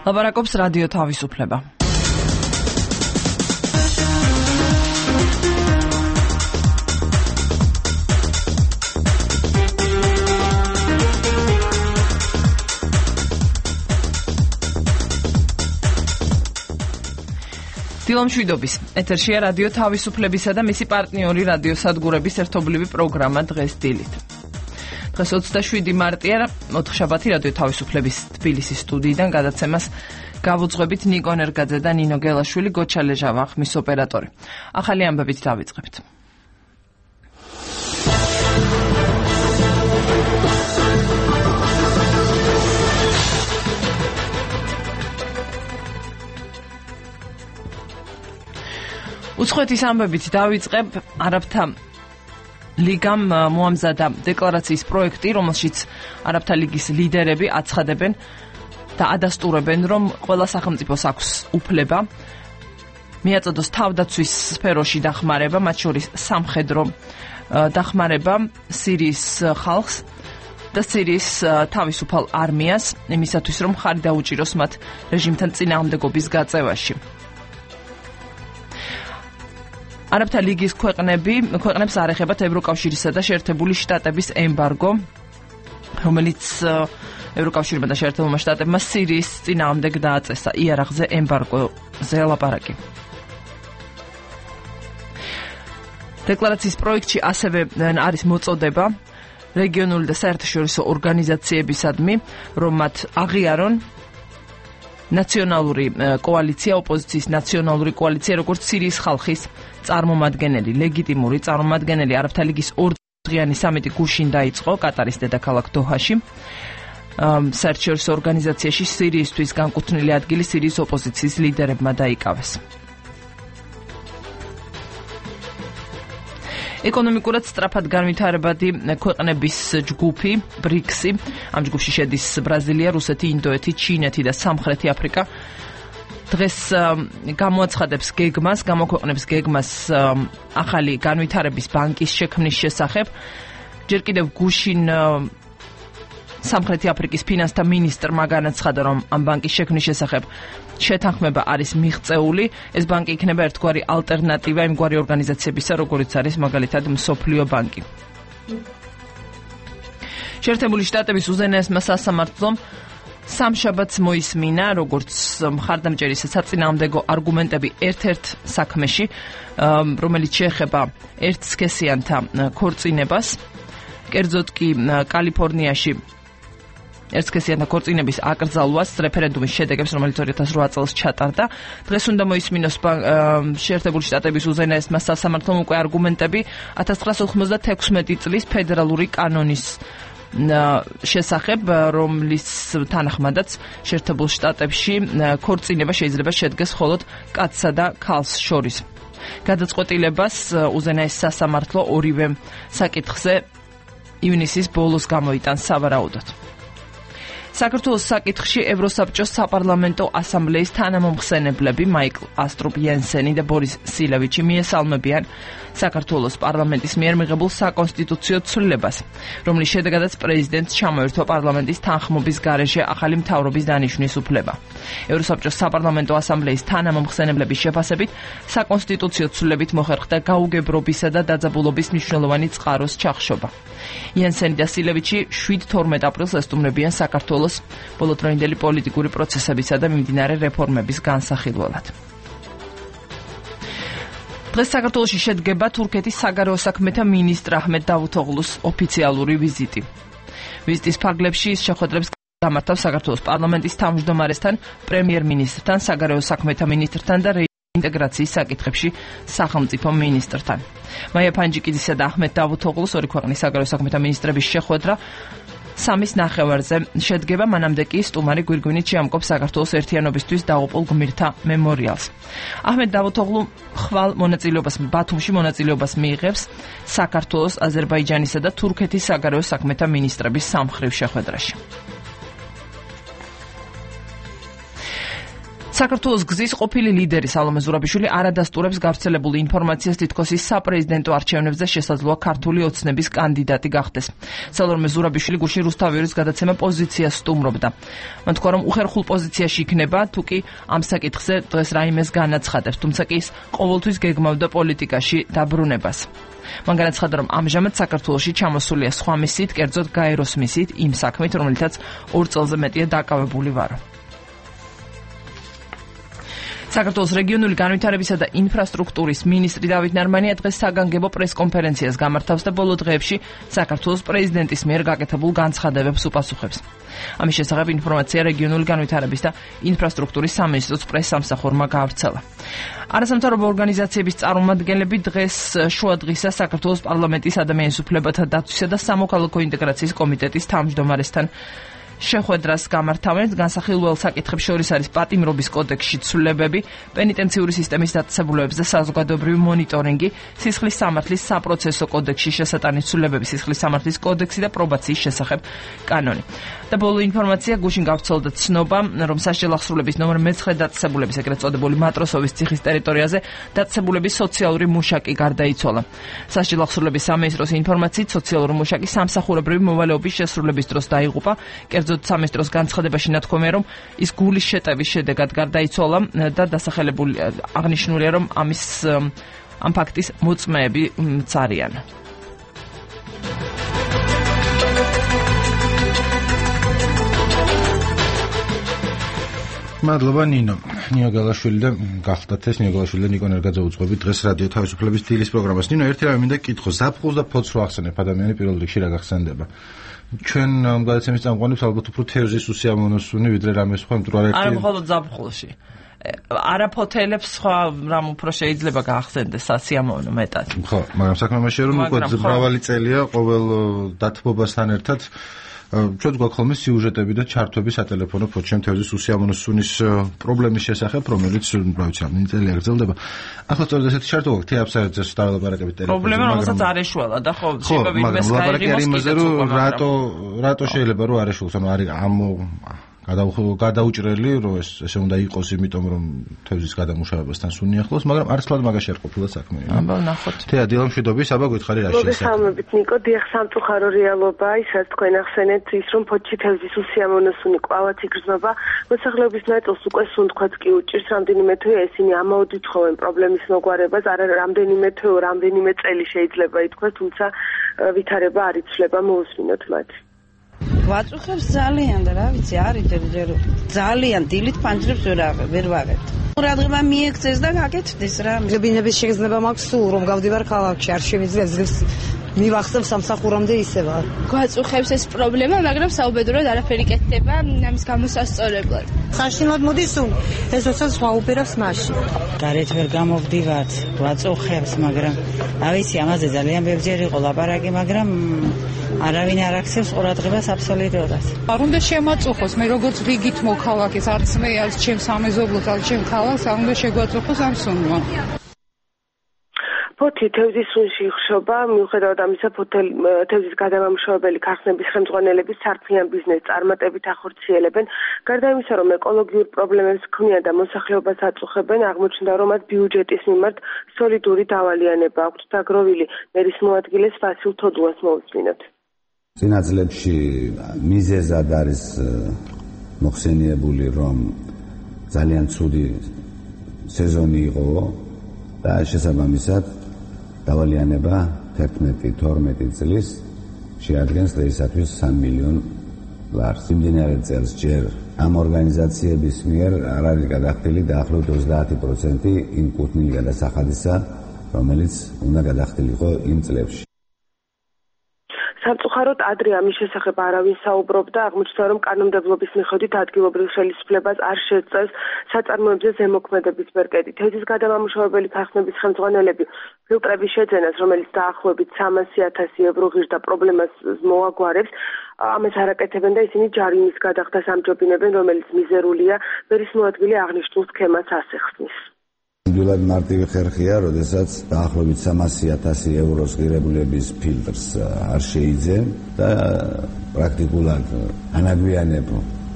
ლაპარაკობს რადიო თავისუფლება. დილომშვიდობის ეთერშია რადიო თავისუფლებისა და მისი პარტნიორი რადიოსადგურების ერთობლივი პროგრამა დღეს დილით. დღეს 27 მარტია, ოთხშაბათი რადიო თავისუფლების თბილისის სტუდიიდან გადაცემას გავუძღვებით ნიკო ნერგაძე და ნინო გელაშვილი, გოჩა ლეჟავა ხმის ოპერატორი. ახალი ამბებით დავიწყებთ. უცხოეთის ამბებით დავიწყებ. არაბთა ლიგამ მოამზადა დეკლარაციის პროექტი, რომელშიც არაბთა ლიგის ლიდერები აცხადებენ და ადასტურებენ, რომ ყველა სახელმწიფოს აქვს უფლება მიაწოდოს თავდაცვის სფეროში დახმარება, მათ შორის სამხედრო დახმარება სირიის ხალხს და სირიის თავისუფალ არმიას, იმისათვის რომ ხარი დაუჭიროს მათ რეჟიმთან წინააღმდეგობის გაწევაში. არაბთა ლიგის ქვეყნებს არ ეხებათ ევროკავშირისა და შეერთებული შტატების ემბარგო, რომელიც ევროკავშირმა და შეერთებულმა შტატებმა სირიის წინააღმდეგ დააწესა. იარაღზე ემბარგოზე ლაპარაკი. დეკლარაციის პროექტში ასევე არის მოწოდება რეგიონული და საერთაშორისო ორგანიზაციებისადმი, რომ მათ აღიარონ ნაციონალური კოალიცია, ოპოზიციის ნაციონალური კოალიცია, როგორც სირიის ხალხის წარმომადგენელი, ლეგიტიმური წარმომადგენელი. არაბთა ლიგის ორდღიანი სამიტი გუშინ დაიწყო კატარის დედაქალაქ დოჰაში. საერთაშორისო ორგანიზაციაში სირიისთვის განკუთვნილი ადგილი სირიის ოპოზიციის ლიდერებმა დაიკავეს. ეკონომიკურად სწრაფად განვითარებადი ქვეყნების ჯგუფი ბრიქსი, ამ ჯგუფში შედის ბრაზილია, რუსეთი, ინდოეთი, ჩინეთი და სამხრეთი აფრიკა, დღეს გამოაცხადებს გეგმას, გამოქვეყნებს გეგმას ახალი განვითარების ბანკის შექმნის შესახებ. ჯერ კიდევ გუშინ სამხრეთი აფრიკის ფინანსთა მინისტრმა განაცხადა, რომ ამ ბანკის შექმნის შესახებ შეთანხმება არის მიღწეული. ეს ბანკი იქნება ერთგვარი ალტერნატივა იმგვარი ორგანიზაციებისა, როგორიც არის მაგალითად მსოფლიო ბანკი. შეერთებული შტატების უზენაესმა სასამართლომ სამშაბათს მოისმინა, როგორც მხარდამჭერი საწინააღმდეგო არგუმენტები ერთ-ერთ საქმეში, რომელიც შეეხება ერთსქესიანთა ქორწინებას. კერძოდ კი კალიფორნიაში ერთსქესიანთა ქორწინების აკრძალვას რეფერენდუმის შედეგებს, რომელიც 2008 წელს ჩატარდა. დღეს უნდა მოისმინოს შეერთებული შტატების უზენაესმა სასამართლომ უკვე არგუმენტები 1996 წლის ფედერალური კანონის შესახებ, რომლის თანახმადაც შეერთებულ შტატებში ქორწინება შეიძლება შედგეს მხოლოდ კაცსა და ქალს შორის. გადაწყვეტილებას უზენაეს სასამართლო ორივე საკითხზე ივნისის ბოლოს გამოიტანს სავარაუდოდ. საქართველოს საკითხში ევროსაბჭოს საპარლამენტო ასამბლეის თანამომხსენებლები მაიკლ ასტრუპ იენსენი და ბორის სილევიჩი მიესალმებიან საქართველოს პარლამენტის მიერ მიღებულ საკონსტიტუციო ცვლილებას, რომლის შედეგადაც პრეზიდენტს ჩამოერთვა პარლამენტის თანხმობის გარეშე ახალი მთავრობის დანიშვნის უფლება. ევროსაბჭოს საპარლამენტო ასამბლეის თანამომხსენებლების შეფასებით საკონსტიტუციო ცვლილებით მოხერხდა გაუგებრობისა და დაძაბულობის მნიშვნელოვანი წყაროს ჩახშობა. იენსენი და სილევიჩი 7-12 აპრილს ესტუმრებიან საქართველოს ბოლოდროინდელი პოლიტიკური პროცესებისა და მიმდინარე რეფორმების განსახილველად. დღეს საქართველოში შედგება თურქეთის საგარეო საქმეთა მინისტრ აჰმედ დავუთოღლუს ოფიციალური ვიზიტი. ვიზიტის ფარგლებში ის შეხვედრებს გამართავს საქართველოს პარლამენტის თავმჯდომარესთან, პრემიერ-მინისტრთან, საგარეო საქმეთა მინისტრთან და ინტეგრაციის საკითხებში სახელმწიფო მინისტრთან. მაია ფანჯიკიძისა და აჰმედ დავუთოღლუს ორი ქვეყნის საგარეო საქმეთა მინისტრების შეხვედრა 3-ის ნახევარზე შედგება, მანამდე კი სტუმარი გვირგვინით შეამკობს საქართველოს ერთიანობისთვის დაუყოლ გმირთა მემორიალს. აჰმედ დავუთოღლუ ხვალ მონაწილეობას ბათუმში მონაწილეობას მიიღებს საქართველოს, აზერბაიჯანისა და თურქეთის საგარეო საქმეთა მინისტრების სამხრივ შეხვედრაში. საქართველოს გზის ყოფილი ლიდერი სალომე ზურაბიშვილი არადასტურებს გავრცელებული ინფორმაციას, თითქოს ის საპრეზიდენტო არჩევნებზე შესაძლოა ქართული ოცნების კანდიდატი გახდეს. სალომე ზურაბიშვილი გუშინ რუსთავიორის გადაცემა პოზიციას სტუმრობდა. მან თქვა, რომ უხერხულ პოზიციაში იქნება, თუ კი ამ საკითხზე დღეს რაიმეს განაცხადებს, თუმცა კი ის ყოველთვის გეგმავდა პოლიტიკაში დაბრუნებას. მან განაცხადა, რომ ამჟამად საქართველოში ჩამოსულია სხვა მისით, კერძოდ გაეროს მისით, იმ საქმით, რომელთაც 2 წელზე მეტია დაკავებული ვარო. საქართველოს რეგიონული განვითარებისა და ინფრასტრუქტურის მინისტრი დავით ნარმანია დღეს საგანგებო პრესკონფერენციას გამართავს და ბოლო დღეებში საქართველოს პრეზიდენტის მიერ გაკეთებულ განცხადებებს უპასუხებს. ამის შესახებ ინფორმაცია რეგიონული განვითარების და ინფრასტრუქტურის სამინისტროს პრესსამსახურმა გაავრცელა. არასამთავრობო ორგანიზაციების წარმომადგენლები დღეს შუადღისა საქართველოს პარლამენტის ადამიანის უფლებათა დაცვისა და სამოქალაქო ინტეგრაციის კომიტეტის თავმჯდომარესთან შეხვედრას გამართავენ. განსახილველ საკითხებს შორის არის პატიმრობის კოდექსში ცვლილებები, პენიტენციური სისტემის დაწესებულებებს და საზოგადოებრივი მონიტორინგი, სისხლის სამართლის საპროცესო კოდექსში შესატანის ცვლილებები, სისხლის სამართლის კოდექსი და პრობაციის შესახებ კანონი. და ბოლო ინფორმაცია გუშინ გავრცელდა ცნობა, რომ სასჯელ ახსრულების ნომერ 9 დაწესებულების, ეგრეთ წოდებული მატროსოვის ციხის ტერიტორიაზე დაწესებულების სოციალური მუშაკი გარდაიცვალა. სასჯელ ახსრულების სამინისტროს ინფორმაციით, სოციალური მუშაკი სამსახურებრივი მოვალეობის შესრულების დროს დაიღუპა. კერძოდ სამინისტროს განცხადებაში ნათქვამია, რომ ის გულის შეტევის შედეგად გარდაიცვალა და დასახელებული აღნიშნულია, რომ ამ ფაქტის მოწმეები არიან. მადლობა ნინო გალაშვილი და გახდათ ეს ნინო გალაშვილი და ნიკო ნერგაძე უძღვებით დღეს რადიო თავისუფლების დილის პროგრამას. ნინო, ერთი რამე მინდა გითხო, ზაფხულს და ფოთს რო ახსენებ ადამიანი პირველ რიგში რა გახსენდება? ჩვენ გადაცემის წამყვანებს ალბათ უფრო თევზის უსიამოვნოსუნი ვიდრე რამე სხვა, იმიტომ რომ არა მხოლოდ ზაფხულში. არაფოთელებს სხვა რამ უფრო შეიძლება გაახსენდეს სასიამოვნო მეტად. ხო, მაგრამ საქმე მასშია, რომ უკვე მრავალი წელია ყოველ დათბობასთან ერთად ჩვენ გვაქვს სიუჟეტები და ჩართვები სატელეფონო ფოთში თევზის უსიამოვნო სუნის პრობლემის შესახებ, რომელიც რა ვიცი, ამ წელია გრძელდება. ახლა სწორედ ესეთი ჩართვა გვაქვს თეაფსაერზე დავალაპარაკებით ტელეფონზე. პრობლემა რომელსაც არ ეშველა და ხო შეიძლება ვინმეს გაიგოს, რატო შეიძლება რომ არ ეშველოს, ანუ არის ამ გადაუჭრელი, რომ ესე უნდა იყოს, იმიტომ რომ თევზის გადამუშავებასთან სუნი ახლოს, მაგრამ არც თლად მაგაში არ ყოფილა საქმე. აბა ნახოთ. თეა დილამშვიდობის, აბა გითხარი რა შეიძლება. მოგესალმებით ნიკო, დიახ, სამწუხარო რეალობაა, ისაც თქვენ ახსენეთ ის, რომ ფოთში თევზის უსიამოვნო სუნი კვლავაც იგრძნობა. მოსახლეობის ნაწილს უკვე სუნთქვაც კი უჭირს, რამდენიმე თვეა ისინი ამაოდით ხოვენ პრობლემის მოგვარებას, არა რამდენიმე თვეო, რამდენიმე წელი შეიძლება ითქვას, თუმცა ვითარება არ იცვლება, მოусმინოთ მათ. ვაწუხებს ძალიან და რა ვიცი, არის ძალიან დილით ფანჯრებს ვერ ვაღებთ. ყურადღება მიექცეს და გაკეთდეს რა. გებინების შეგრძნება მაქვს სულ რომ გავდივარ ქალაქში, არ შემიძლია ძლივს მივახსოვს სამსახურამდე ისევა. გვაწუხებს ეს პრობლემა, მაგრამ საუბედურად არაფერი კეთდება ამის გამოსასწორებლად. საშინლად მოდის სულ ეს როდესაც ვაუბერავს მაშინ. გარეთ ვერ გამოვდივართ, გვაწუხებს, მაგრამ რა ვიცი, ამაზე ძალიან ბევრჯერ იყო ლაპარაკი, მაგრამ არავინ არ აქცევს ყურადღებას აბსოლუტურად. არ უნდა შემაწუხოს, მე როგორც რიგით მოქალაქეს, არც მე არც ჩემ სამეზობლოს, არც ჩემ ქალაქს არ უნდა შეგვაწუხოს ამ სუნმა. ფოთი თევზის სუნში იხშობა, მიუხედავად ამისა, თევზის გადამამუშავებელი ქარხნების ხელმძღვანელები სარფიან ბიზნესს წარმატებით ახორციელებენ. გარდა იმისა, რომ ეკოლოგიურ პრობლემებს ქმნიან და მოსახლეობას აწუხებენ, აღმოჩნდა, რომ მათ ბიუჯეტის მიმართ სოლიდური დავალიანება აქვთ. დაგროვილი მერის მოადგილეს ვასილ თოდუას მოусმინოთ. წინა წლებში მიზეზად არის მოხსენიებული, რომ ძალიან ცუდი სეზონი იყო და შესაბამისად დავალიანება 11-12 წლის შეადგენს დღეისათვის 3 მილიონ ლარს. იმდენად წელს ჯერ ამ ორგანიზაციების მიერ არ არის გადახდილი დაახლოებით 30% იმ კუთვნილი გადასახადისა, რომელიც უნდა გადახდილიყო იმ წლებში. სამწუხაროდ ადრე ამის შესახებ არავინ საუბრობდა, აღმოჩნდა, რომ კანონმდებლობის მიხედვით ადგილობრივ ხელისუფლებას არ შეწევს საწარმოებზე ზემოქმედების ბერკეტი. თევზის გადამამუშავებელი ქარხნების ხელმძღვანელები ფილტრების შეძენას, რომელიც დაახლოებით 300,000 евро ღირდა პრობლემას მოაგვარებს, ამას არ აკეთებენ და ისინი ჯარიმის გადახდას ამჯობინებენ, რომელიც მიზერულია, მერის მოადგილე აღნიშნულ სქემას ასახსნის. ნამდვილად მარტივი ხერხია, როდესაც დაახლოებით 300,000 ევროს ღირებულების ფილტრს არ შეიძენ და პრაქტიკულად ანაგვიანებ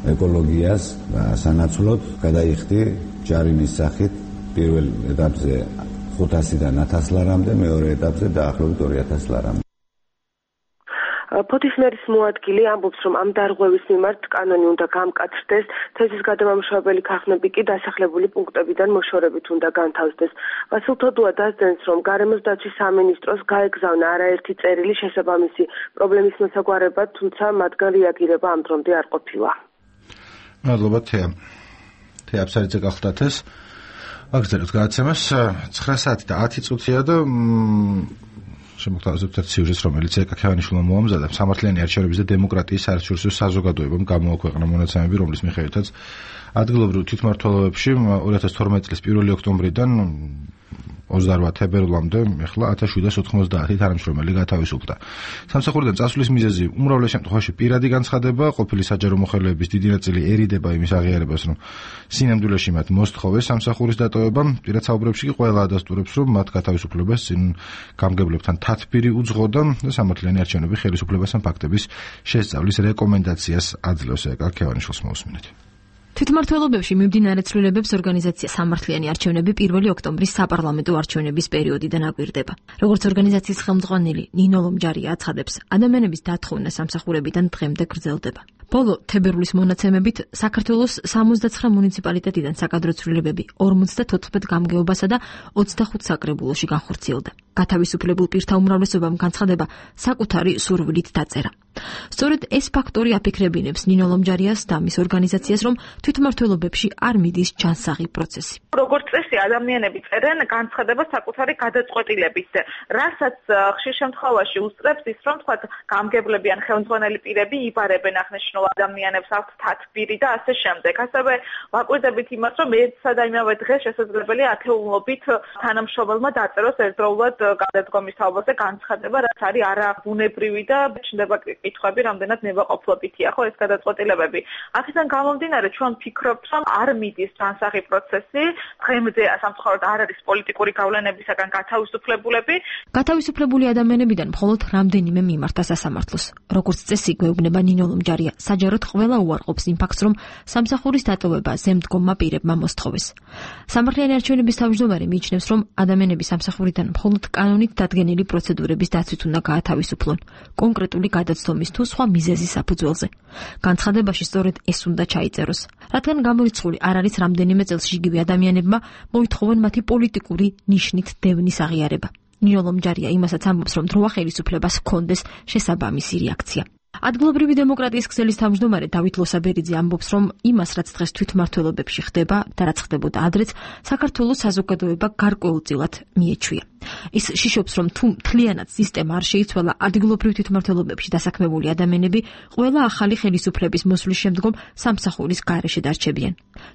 ეკოლოგიას და სანაცვლოდ გადაიხდი ჯარინის სახით პირველ ეტაპზე 500-დან 1000 ლარამდე, მეორე ეტაპზე დაახლოებით 2000 ლარამდე. ფოთის მერის მოადგილე ამბობს, რომ ამ დარღვევის მიმართ კანონი უნდა გამკაცრდეს, თეზის გადამამუშავებელი ქაღნები კი დასახლებული პუნქტებიდან მოშორებით უნდა განთავსდეს. ვასილ თოდუა დასძენს, რომ გარემოს დაცვის სამინისტროს გაეგზავნა არაერთი წერილი შესაბამისი პრობლემის მოსაგვარებლად, თუმცა მათგან რეაგირება ამ დრომდე არ ყოფილა. მადლობა თეა. თეა აბსარიძე გახლდათ ეს. აგზავნოთ გადაცემას 9 საათი და 10 წუთია და შემოგთავაზებთ სიუჟეტს, რომელიც ეკა ქევანიშვილმა მოამზადა. სამართლიანი არჩევნების და დემოკრატიის საერთაშორისო საზოგადოებამ გამოაქვეყნა მონაცემები, რომლის მიხედვითაც ადგილობრივ თვითმმართველობებში 2012 წლის 1 ოქტომბრიდან 28 თებერვლამდე ახლა 1790 თანამშრომელი გათავისუფლდა. სამსახურიდან წასვლის მიზეზი უმრავლეს შემთხვევაში პირადი განცხადება, ყოფილი საჯარო მოხელეების დიდი ნაწილი ერიდება იმის აღიარებას, რომ სინამდვილეში მათ მოსთხოვეს სამსახურის დატოვება. პირად საუბრებში კი ყველა ადასტურებს, რომ მათ გათავისუფლებას წინ გამგებლებთან თათბირი უძღოდა და სამართლიანი არჩევნები ხელისუფლებას ამ ფაქტების შესწავლის რეკომენდაციას აძლევს. ეკა ქევანიშვილს მოусმინეთ. თვითმმართველობებში მიმდინარე ცვლილებებს ორგანიზაცია სამართლიანი არჩევნები 1 ოქტომბრის საპარლამენტო არჩევნების პერიოდიდან აკვირდება. როგორც ორგანიზაციის ხელმძღვანელი ნინო ლომჯარია აცხადებს, ადამიანების დათხოვნა სამსახურებიდან დღემდე გრძელდება. ბოლო თებერვლის მონაცემებით საქართველოს 69 მუნიციპალიტეტიდან საკადრო ცვლილებები 54 გამგეობასა და 25 საკრებულოში განხორციელდა. გათავისუფლებულ პირთა უმრავლესობამ განცხადება საკუთარი სურვილით დაწერა. სწორედ ეს ფაქტორი აფიქრებინებს ნინო ლომჯარიას და მის ორგანიზაციას, რომ თვითმმართველობებში არ მიდის ჩანსაღი პროცესი. როგორც წესი, ადამიანები წერენ განცხადებას საკუთარი გადაწყვეტილებით, რასაც ხშირ შემთხვევაში უსწრებს ის, რომ თქვათ გამგებლები ან ხელმძღვანელი პირები იბარებენ აღნიშნულ ადამიანებს, აქვთ თათბირი და ასე შემდეგ. ასევე ვაკვირდებით იმას, რომ ერთსა და იმავე დღეს შესაძლებელია ათეულობით თანამშრომელმა დაწეროს ერთდროულად გადადგომის თაობაზე განცხადება, რაც არის არაბუნებრივი და ჩნდება კითხვები, რამდენად ნებაყოფლობითია ხო ეს გადაწყვეტილებები. აქედან გამომდინარე, ჩვენ ვფიქრობთ, რომ არ მიდის ჩანსაღი პროცესი, დღემდე სამწუხაროდ არ არის პოლიტიკური გავლენებისაგან გათავისუფლებულები. გათავისუფლებული ადამიანებიდან მხოლოდ რამდენიმე მიმართა სასამართლოს. როგორც წესი, გვეუბნება ნინო ლომჯარია, საჯაროდ ყველა უარყოფს იმ ფაქტს, რომ სამსახურის დატოვება ზემდგომმა პირებმა მოსთხოვეს. სამართლიანი არჩევნების თავმჯდომარე მიიჩნევს, რომ ადამიანები სამსახურიდან მხოლოდ კანონით დადგენილი პროცედურების დაცვით უნდა გაათავისუფლონ, კონკრეტული გადაცდომის თუ სხვა მიზეზის საფუძველზე. განცხადებაში სწორედ ეს უნდა ჩაიწეროს. რადგან გამორიცხული არ არის რამდენიმე წელს იგივე ადამიანებმა მოითხოვენ მათი პოლიტიკური ნიშნით დევნის აღიარება. ნინო ლომჯარია იმასაც ამბობს, რომ დროა ხელისუფლებას ჰქონდეს შესაბამისი რეაქცია. ადგილობრივი დემოკრატიის ქსელის თავმჯდომარე დავით ლოსაბერიძე ამბობს, რომ იმას, რაც დღეს თვითმმართველობებში ხდება და რაც ხდებოდა ადრეც, საქართველოს საზოგადოება გარკვეულწილად მიეჩვია. ის შიშობს, რომ თუ მთლიანად სისტემა არ შეიცვალა, ადგილობრივ თვითმმართველობებში დასაქმებული ადამიანები ყველა ახალი ხელისუფლების მოსვლის შემდგომ სამსახურის გარეშე დარჩებიან.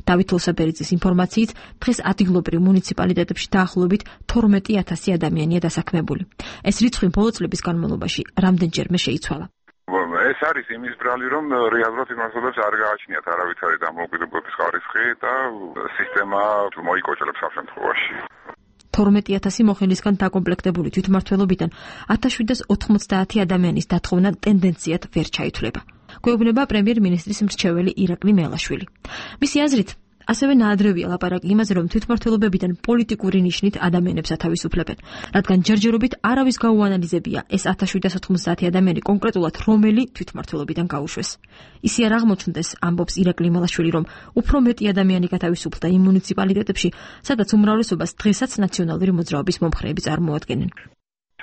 დავით ლოსაბერიძის ინფორმაციით, დღეს ადგილობრივ მუნიციპალიტეტებში დაახლოებით 12000 ადამიანია დასაქმებული. ეს რიცხვი ბოლო წლების განმავლობაში რამდენჯერმე შეიცვალა. ეს არის იმის ბრალი, რომ რეალურად იმასობებს არ გააჩნიათ არავითარი დამოუკიდებლობის ხარისხი და სისტემა მოიკოჭლებს ამ შემთხვევაში. 12000 მოხელისგან დაკომპლექტებული თვითმმართველობიდან 1790 ადამიანის დათხოვნა ტენდენციად ვერ ჩაითვლება. გვეუბნება პრემიერ-მინისტრის მრჩეველი ირაკლი მელაშვილი. მისი აზრით, ასევე ნაადრევია ლაპარაკი იმაზე, რომ თვითმმართველობებიდან პოლიტიკური ნიშნით ადამიანებს ათავისუფლებენ, რადგან ჯერჯერობით არავის გაუანალიზებია ეს 1790 ადამიანი კონკრეტულად რომელი თვითმმართველობიდან გაუშვეს. ისი არ აღმოჩნდეს, ამბობს ირაკლი მელაშვილი, რომ უფრო მეტი ადამიანი გათავისუფლდა იმ მუნიციპალიტეტებში, სადაც უმრავლესობას დღესაც ნაციონალური მოძრაობის მომხრეები წარმოადგენენ.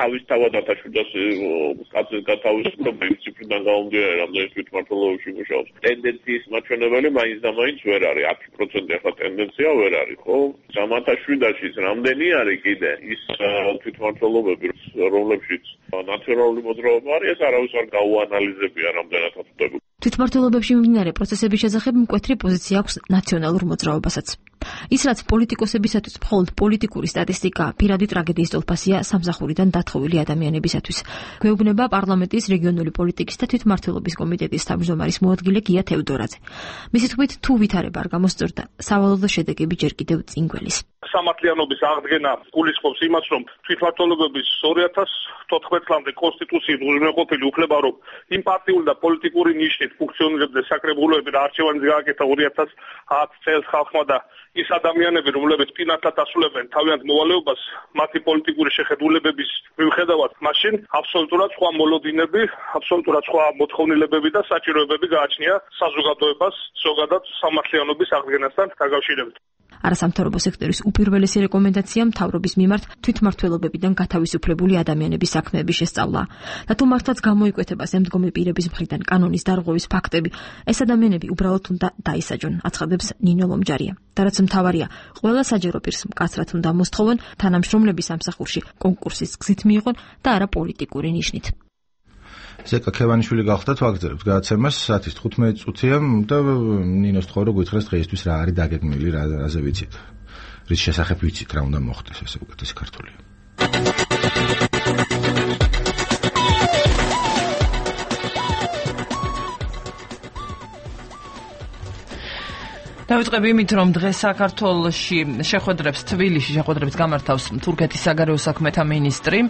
თავისთავად 1700 კაცის გათავისუფლება იმ ციფრიდან გამომდინარე, რამდენიც თვითმმართველობებში მუშაობს. ტენდენციის მაჩვენებელი მაინც და მაინც ვერ არის, 10% ახლა ტენდენცია ვერ არის, ხო? 1700-ში რამდენი არის კიდე ის თვითმმართველობები, რომლებშიც ნაციონალური მოძრაობა არის, ეს არავის არ გაუანალიზებია რამდენად ხდება. თვითმმართველობებში მიმდინარე პროცესების შესახებ მკვეთრი პოზიცია აქვს ნაციონალურ მოძრაობასაც. ის რაც პოლიტიკოსებისათვის მხოლოდ პოლიტიკური სტატისტიკა, პირადი ტრაგედიის ტოლფასია სამსახურიდან დათხოვილი ადამიანებისათვის. გვეუბნება პარლამენტის რეგიონული პოლიტიკის და თვითმმართველობის კომიტეტის თავმჯდომარის მოადგილე გია თევდორაძე. მისი თქმით, თუ ვითარება არ გამოსწორდა, სავალალო შედეგები ჯერ კიდევ წინ გველის. სამართლიანობის აღდგენა გულისხმობს იმას, რომ თვითმმართველობების 2014 წლამდე კონსტიტუციით უზრუნველყოფილი უფლება, რომ იმ პარტიული და პოლიტიკური ნიშნით ფუნქციონირებდნენ საკრებულოები და არჩევანიც გააკეთა 2010 წელს ხალხმა და ის ადამიანები, რომლებიც პირადად ასრულებენ თავიანთ მოვალეობას, მათი პოლიტიკური შეხედულებების მიუხედავად, მაშინ აბსოლუტურად სხვა მოლოდინები, აბსოლუტურად სხვა მოთხოვნილებები და საჭიროებები გააჩნია საზოგადოებას, ზოგადად სამართლიანობის აღდგენასთან დაკავშირებით. არასამთავრობო სექტორის უპირველესი რეკომენდაცია მთავრობის მიმართ თვითმმართველობებიდან გათავისუფლებული ადამიანების საქმეების შესწავლა. და თუ მართლაც გამოიკვეთება ზემდგომი პირების მხრიდან კანონის დარღვევის ფაქტები, ეს ადამიანები უბრალოდ უნდა დაისაჯონ, აცხადებს ნინო ლომჯარია. და რაც მთავარია, ყველა საჯარო პირს მკაცრად უნდა მოსთხოვონ, თანამშრომლები სამსახურში კონკურსის გზით მიიღონ და არა პოლიტიკური ნიშნით. ზეკა ქევანიშვილი გახდათ ვაგრძელებთ გადაცემას 15 წუთია და ნინოს თქო რომ გითხრას დღეისთვის რა არის დაგეგმილი, რაზე ვიცით. რის შესახებ ვიცით რა უნდა მოხდეს, ესე უკეთესი ქართულია. დავიწყებ იმით, რომ დღეს საქართველოში შეხვედრებს თბილისში შეხვედრებს გამართავს თურქეთის საგარეო საქმეთა მინისტრი.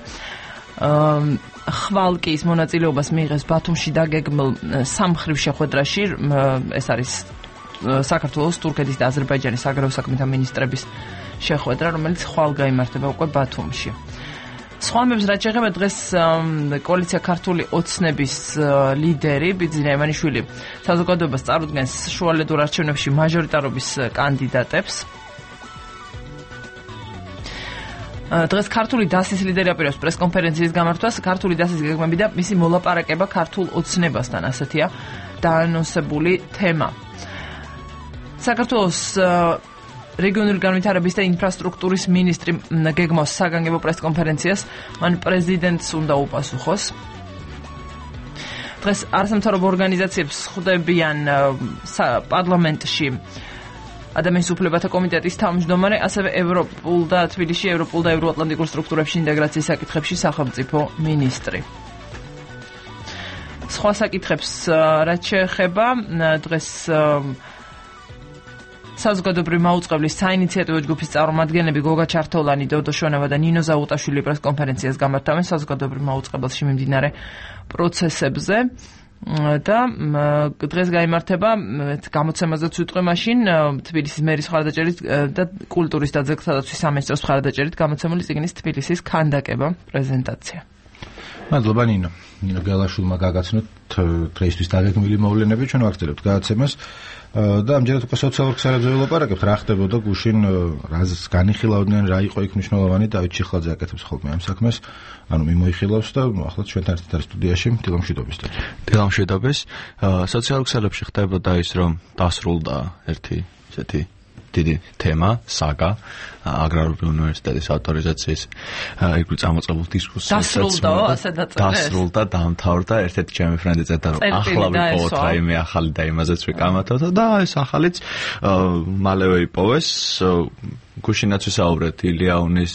ხვალკის მონაწილეობას მიიღეს ბათუმში დაგეგმილ სამხრივ შეხვედრაში. ეს არის საქართველოს, თურქეთის და აზერბაიჯანის საგარეო საქმეთა მინისტრების შეხვედრა, რომელიც ხვალ გაიმართება უკვე ბათუმში. სხვა მებს რაც შეეხება დღეს კოალიცია ქართული ოცნების ლიდერი ბიძინა ივანიშვილი საზოგადოებას წარუდგენს შუალედურ არჩევნებში მაჟორიტარობის კანდიდატებს. დღეს ქართული დასის ლიდერი აპირებს პრესკონფერენციის გამართვას. ქართული დასის გეგმები და მისი მოლაპარაკება ქართულ ოცნებასთან, ასეთია დაანონსებული თემა. საქართველოს რეგიონული განვითარების და ინფრასტრუქტურის მინისტრი გეგმავს საგანგებო პრესკონფერენციას, მან პრეზიდენტს უნდა უპასუხოს. დღეს არასამთავრობო ორგანიზაციებს ხვდებიან პარლამენტში ადამიანის უფლებათა კომიტეტის თავმჯდომარე, ასევე ევროპულ და თბილისში ევროპულ და ევროატლანტიკურ სტრუქტურებში ინტეგრაციის საკითხებში სახელმწიფო მინისტრი. სხვა საკითხებს რაც შეეხება დღეს საზოგადოებრივი მაუწყებლის საინიციატივო ჯგუფის წარმომადგენლები გოგა ჩართოლანი, დოდო შონავა და ნინო ზაუტაშვილი პრესკონფერენციას გამართავენ საზოგადოებრივ მაუწყებელში მიმდინარე პროცესებზე. და დღეს გაიმართება გამოცემაზეც ვიტყვი მაშინ თბილისის მერის მხარდაჭერით და კულტურის და ძეგლთა დაცვის სამინისტროს მხარდაჭერით გამოცემული წიგნის თბილისის ქანდაკება პრეზენტაცია. მადლობა ნინო. ნინო გელაშვილმა გაგაცნოთ დღეისთვის დაგეგმილი მოვლენები, ჩვენ ვაგრძელებთ გადაცემას და ამჯერად უკვე სოციალურ ქსელებზე ვილაპარაკებთ, რა ხდებოდა გუშინ, რას განიხილავდნენ, რა იყო იქ მნიშვნელოვანი. დავით ჩიხლაძე აკეთებს ხოლმე ამ საქმეს, ანუ მიმოიხილავს და ახლა ჩვენთან ერთად არის სტუდიაში დილამშვიდობის. დილამშვიდობის. სოციალურ ქსელებში ხდებოდა ის, რომ დასრულდა ერთი ესეთი დიდი თემა, საგა, აგრარული უნივერსიტეტის ავტორიზაციის იგივე წამოწყებულ დისკუსიას. დასრულდა, დაამთავრდა, ერთ-ერთი ჩემი ფრენდი წერდა, რომ ახლა ვიპოვოთ რაიმე ახალი და იმაზეც ვიკამათოთ და ეს ახალიც მალევე იპოვეს. გუშინაც ვისაუბრეთ ილიაუნის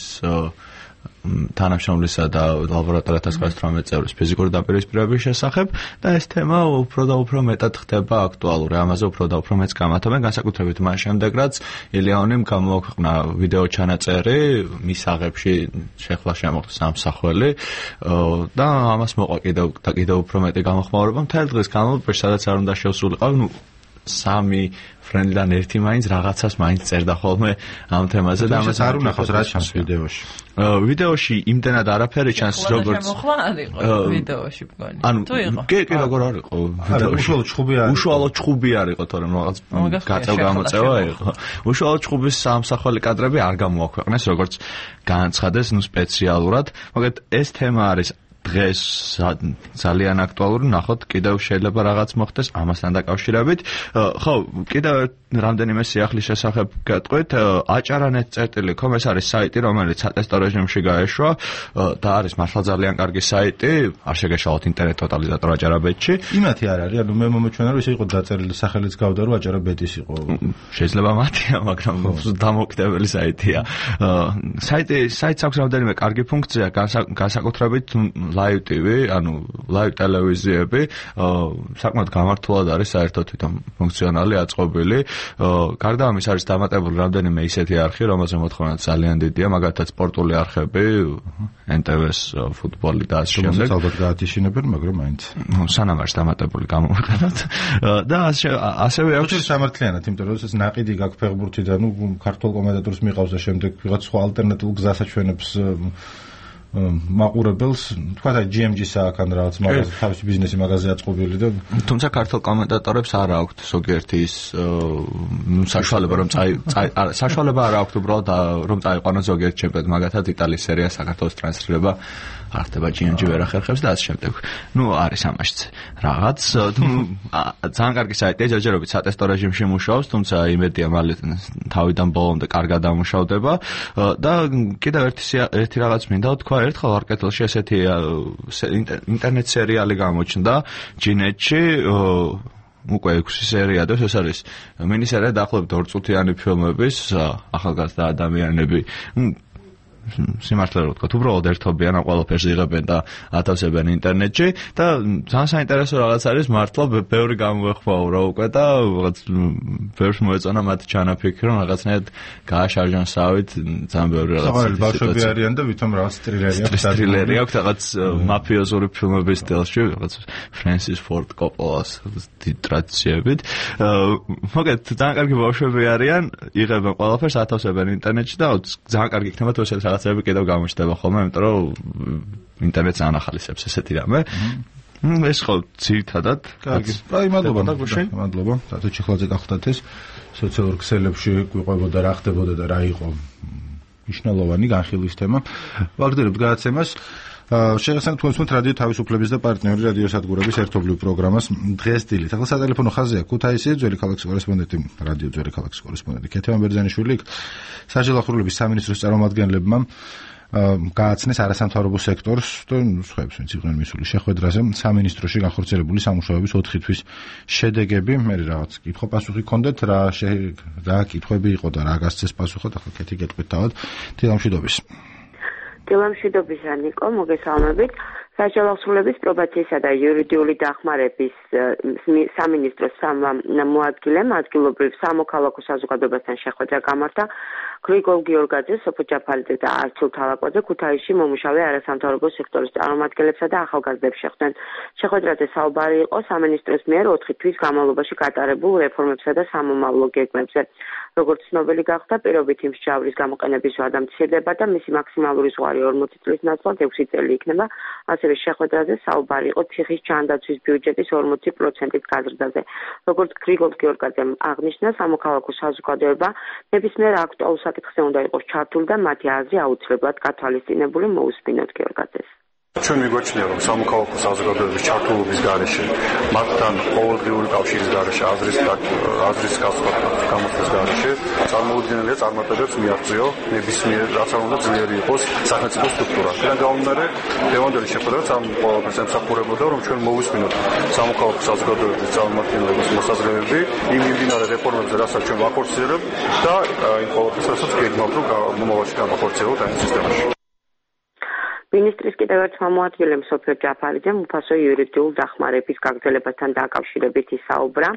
თანამშრომლისა და ლაბორატორიათა 118 წევრის ფიზიკური დაპირისპირების შესახებ და ეს თემა უფრო და უფრო მეტად ხდება აქტუალური. ამაზე უფრო და უფრო მეც გამათობენ, განსაკუთრებით მას შემდეგ, რაც ილიაუნიმ გამოაქვეყნა ვიდეო ჩანაწერი მისაღებში შეხლა შემოხდა სამსახველი და ამას მოყვა კიდევ უფრო მეტი გამოხმაურება. მთელი დღის განმავლობაში სადაც არ უნდა შევსულიყავ, სამი ფრენდიდან ერთი მაინც რაღაცას მაინც წერდა ხოლმე ამ თემაზე და ამას არ უნახავს რა ჩანს ვიდეოში. ვიდეოში იმდენად არაფერი ჩანს, როგორც ვიდეოში მგონი. თუ იყო. კი, როგორ არ იყო ვიდეოში. უშუალოდ ჩხუბი არ იყო, თორემ რაღაც გაწევა იყო. უშუალოდ ჩხუბის სამსახველი კადრები არ გამოაქვეყნეს, როგორც განაცხადეს სპეციალურად. მაგრამ ეს თემა არის დღეს ძალიან აქტუალური, ნახოთ კიდევ შეიძლება რაღაც მოხდეს ამასთან დაკავშირებით. ხო, კიდევ რამდენიმე სიახლის შესახებ გეტყვით, acharan.com ეს არის საიტი, რომელიც სატესტო რეჟიმში გაეშვა და არის მართლა ძალიან კარგი საიტი, არ შეგეშალოთ ინტერნეტ ტოტალიზატორ acharan.bet-ში. იმათი არ არის, ანუ მე მომეჩვენა რომ ისე იყო დაწერილი სახელიც გავდა რომ acharan.bet-ის იყო. შეიძლება მათია, მაგრამ დამოუკიდებელი საიტია. საიტს აქვს რამდენიმე კარგი ფუნქცია, განსაკუთრებით live TV, ანუ live ტელევიზიები, საკმაოდ გამართულად არის საერთოდ თვითონ ფუნქციონალი აწყობილი. გარდა ამის არის დამატებული რამდენიმე ისეთი არხი, რომელზე მოთხოვნა ძალიან დიდია, მაგალითად სპორტული არხები, NTV-ს ფუტბოლი და ასე შემდეგ. ალბათ გაათიშინებენ, მაგრამ მაინც. სანამ არის დამატებული გამოვიყენოთ. და ასევე აქვს სამართლიანად, იმიტომ რომ ეს ნაყიდი გაქვს ფეხბურთიდან, ქართულ კომენტატორს მიყავს და შემდეგ ვიღაც სხვა ალტერნატიულ გზას აჩვენებს მაყურებელს, თქვა და GMG-ს აქვს ან რაღაც მაგაზე თავისი ბიზნესი მაგაზე აწყობილი და თუმცა ქართულ კომენტატორებს არ აქვთ ზოგიერთი ის საშუალება რომ საშუალება არ აქვთ უბრალოდ რომ წაიყვანონ ზოგიერთ ჩემპიონატ, მაგათაც იტალიის სერია საქართველოს ტრანსლირება არ ხდება GMG ვერ ახერხებს და ასე შემდეგ. არის ამაშიც რაღაც ძალიან კარგი საიტია, ჯერჯერობით სატესტო რეჟიმში მუშაობს, თუმცა იმედია მალე თავიდან ბოლომდე კარგად დამუშავდება და კიდევ ერთი რაღაც მინდა თქვა, ერთხელ არკეთილში ესეთი ინტერნეტ სერიალი გამოჩნდა ჯინეთში, უკვე 6 სერია და ეს არის მინისერია დაახლოებით 2 წუთიანი ფილმების ახალგაზრდა ადამიანები სიმართლე რომ ვთქვა, უბრალოდ ერთობიან, ყველაფერს იღებენ და ათავსებენ ინტერნეტში და ძალიან საინტერესო რაღაც არის, მართლა ბევრი გამოეხმაურა უკვე და რაღაც ბევრს მოეწონა მათი ჩანაფიქრი, რომ რაღაცნაირად გააშარჟან სავით, ძალიან ბევრი რაღაც. საყვარელი ბავშვები არიან და ვითომ რაღაც ტრილერი აქვს, რაღაც მაფიოზური ფილმების სტილში, რაღაც ფრენსის ფორდ კოპოლას ტრადიციებით. მოგეთ, ძალიან კარგი ბავშვები არიან, იღებენ ყველაფერს, ათავსებენ ინტერნეტში და ძალიან კარგი იქნება თუ ესეთ რაღაცები კიდევ გამოჩნდება ხოლმე, იმიტომ რომ ინტერნეტს ანახალისებს ესეთი რამე. ეს ხო ძირითადად. კარგი. აი, მადლობა. მადლობა. დათო ჩიხლაძე გახდათ ეს სოციალურ ქსელებში გვიყვებოდა რა ხდებოდა და რა იყო მნიშვნელოვანი განხილვის თემა. ვაგრძელებთ გადაცემას. შეგახსენებთ თქვენს რადიო თავისუფლების და პარტნიორი რადიო სადგურების ერთობლივ პროგრამას დღეს დილით. ახლა სატელეფონო ხაზია ქუთაისი, ძველი ქალაქის კორესპონდენტი, რადიო ძველი ქალაქის კორესპონდენტი ქეთევან ბერძენიშვილი, საჯარო ახურლების სამინისტროს წარმომადგენლებმა გააცნეს არასამთავრობო სექტორს და სხვაებს ვინც იყვნენ მისული შეხვედრაზე სამინისტროში განხორციელებული სამუშაოების 4 თვის შედეგები. მე რაღაც კითხვა-პასუხი გქონდეთ, რა კითხვები იყო და რა გასცეს პასუხად, ახლა ქეთი გეტყვით თავად. დილამშვიდობის. დილამშვიდობისა ნიკო, მოგესალმებით. საჯარო ახურლების პრობაციისა და იურიდიული დახმარების სამინისტროს მოადგილემ ადგილობრივ სამოქალაქო საზოგადოებასთან შეხვედრა გამართა. გრიგოლ გიორგაძე, სოფო ჯაფარიძე და არჩილ თალაკვაძე ქუთაისში მომუშავე არასამთავრობო სექტორის წარმომადგენლებსა და ახალგაზრდებს შეხვდნენ. შეხვედრაზე საუბარი იყო სამინისტროს მიერ 4 თვის განმავლობაში გატარებულ რეფორმებსა და სამომავლო გეგმებზე. როგორც ცნობილი გახდა, პირობითი მსჯავრების გამოყენების ვადა მცირდება და მისი მაქსიმალური ზღვარი 40 წლის ნაცვლად 6 წელი იქნება. ასევე შეხვედრაზე საუბარი იყო ციხის ჯანდაცვის ბიუჯეტის 40%-ით გაზრდაზე. როგორც გრიგოლ გიორგაძემ აღნიშნა, სამოქალაქო საზოგადოება ნებისმიერ აქტუალურ საკითხზე უნდა იყოს ჩართული და მათი აზრი აუცილებლად გათვალისწინებული. მოусმინოთ გიორგაძეს. ჩვენ მიგვაჩნია, რომ სამოქალაქო საზოგადოების ჩართულობის გარეშე, მათთან ყოველდღიური კავშირის გარეშე, აზრის გამოხმის გარეშე, წარმოუდგენელია წარმატებებს მიაღწიო ნებისმიერ, რაც არ უნდა ძლიერი იყოს სახელმწიფო სტრუქტურა. აქედან გამომდინარე, დღევანდელი შეხვედრაც ამ ყველაფერს ემსახურებოდა, რომ ჩვენ მოვისმინოთ სამოქალაქო საზოგადოების წარმომადგენლების მოსაზრებები იმ მიმდინარე რეფორმებზე, რასაც ჩვენ ვახორციელებთ და იმ ყველაფერს, რასაც გეგმავთ, რომ მომავალში გავახორციელოთ ამ სისტემაში. მინისტრის კიდევ ერთ მოადგილემ სოფიო ჯაფარიძემ უფასო იურიდიულ დახმარების გაგრძელებასთან დაკავშირებით ისაუბრა.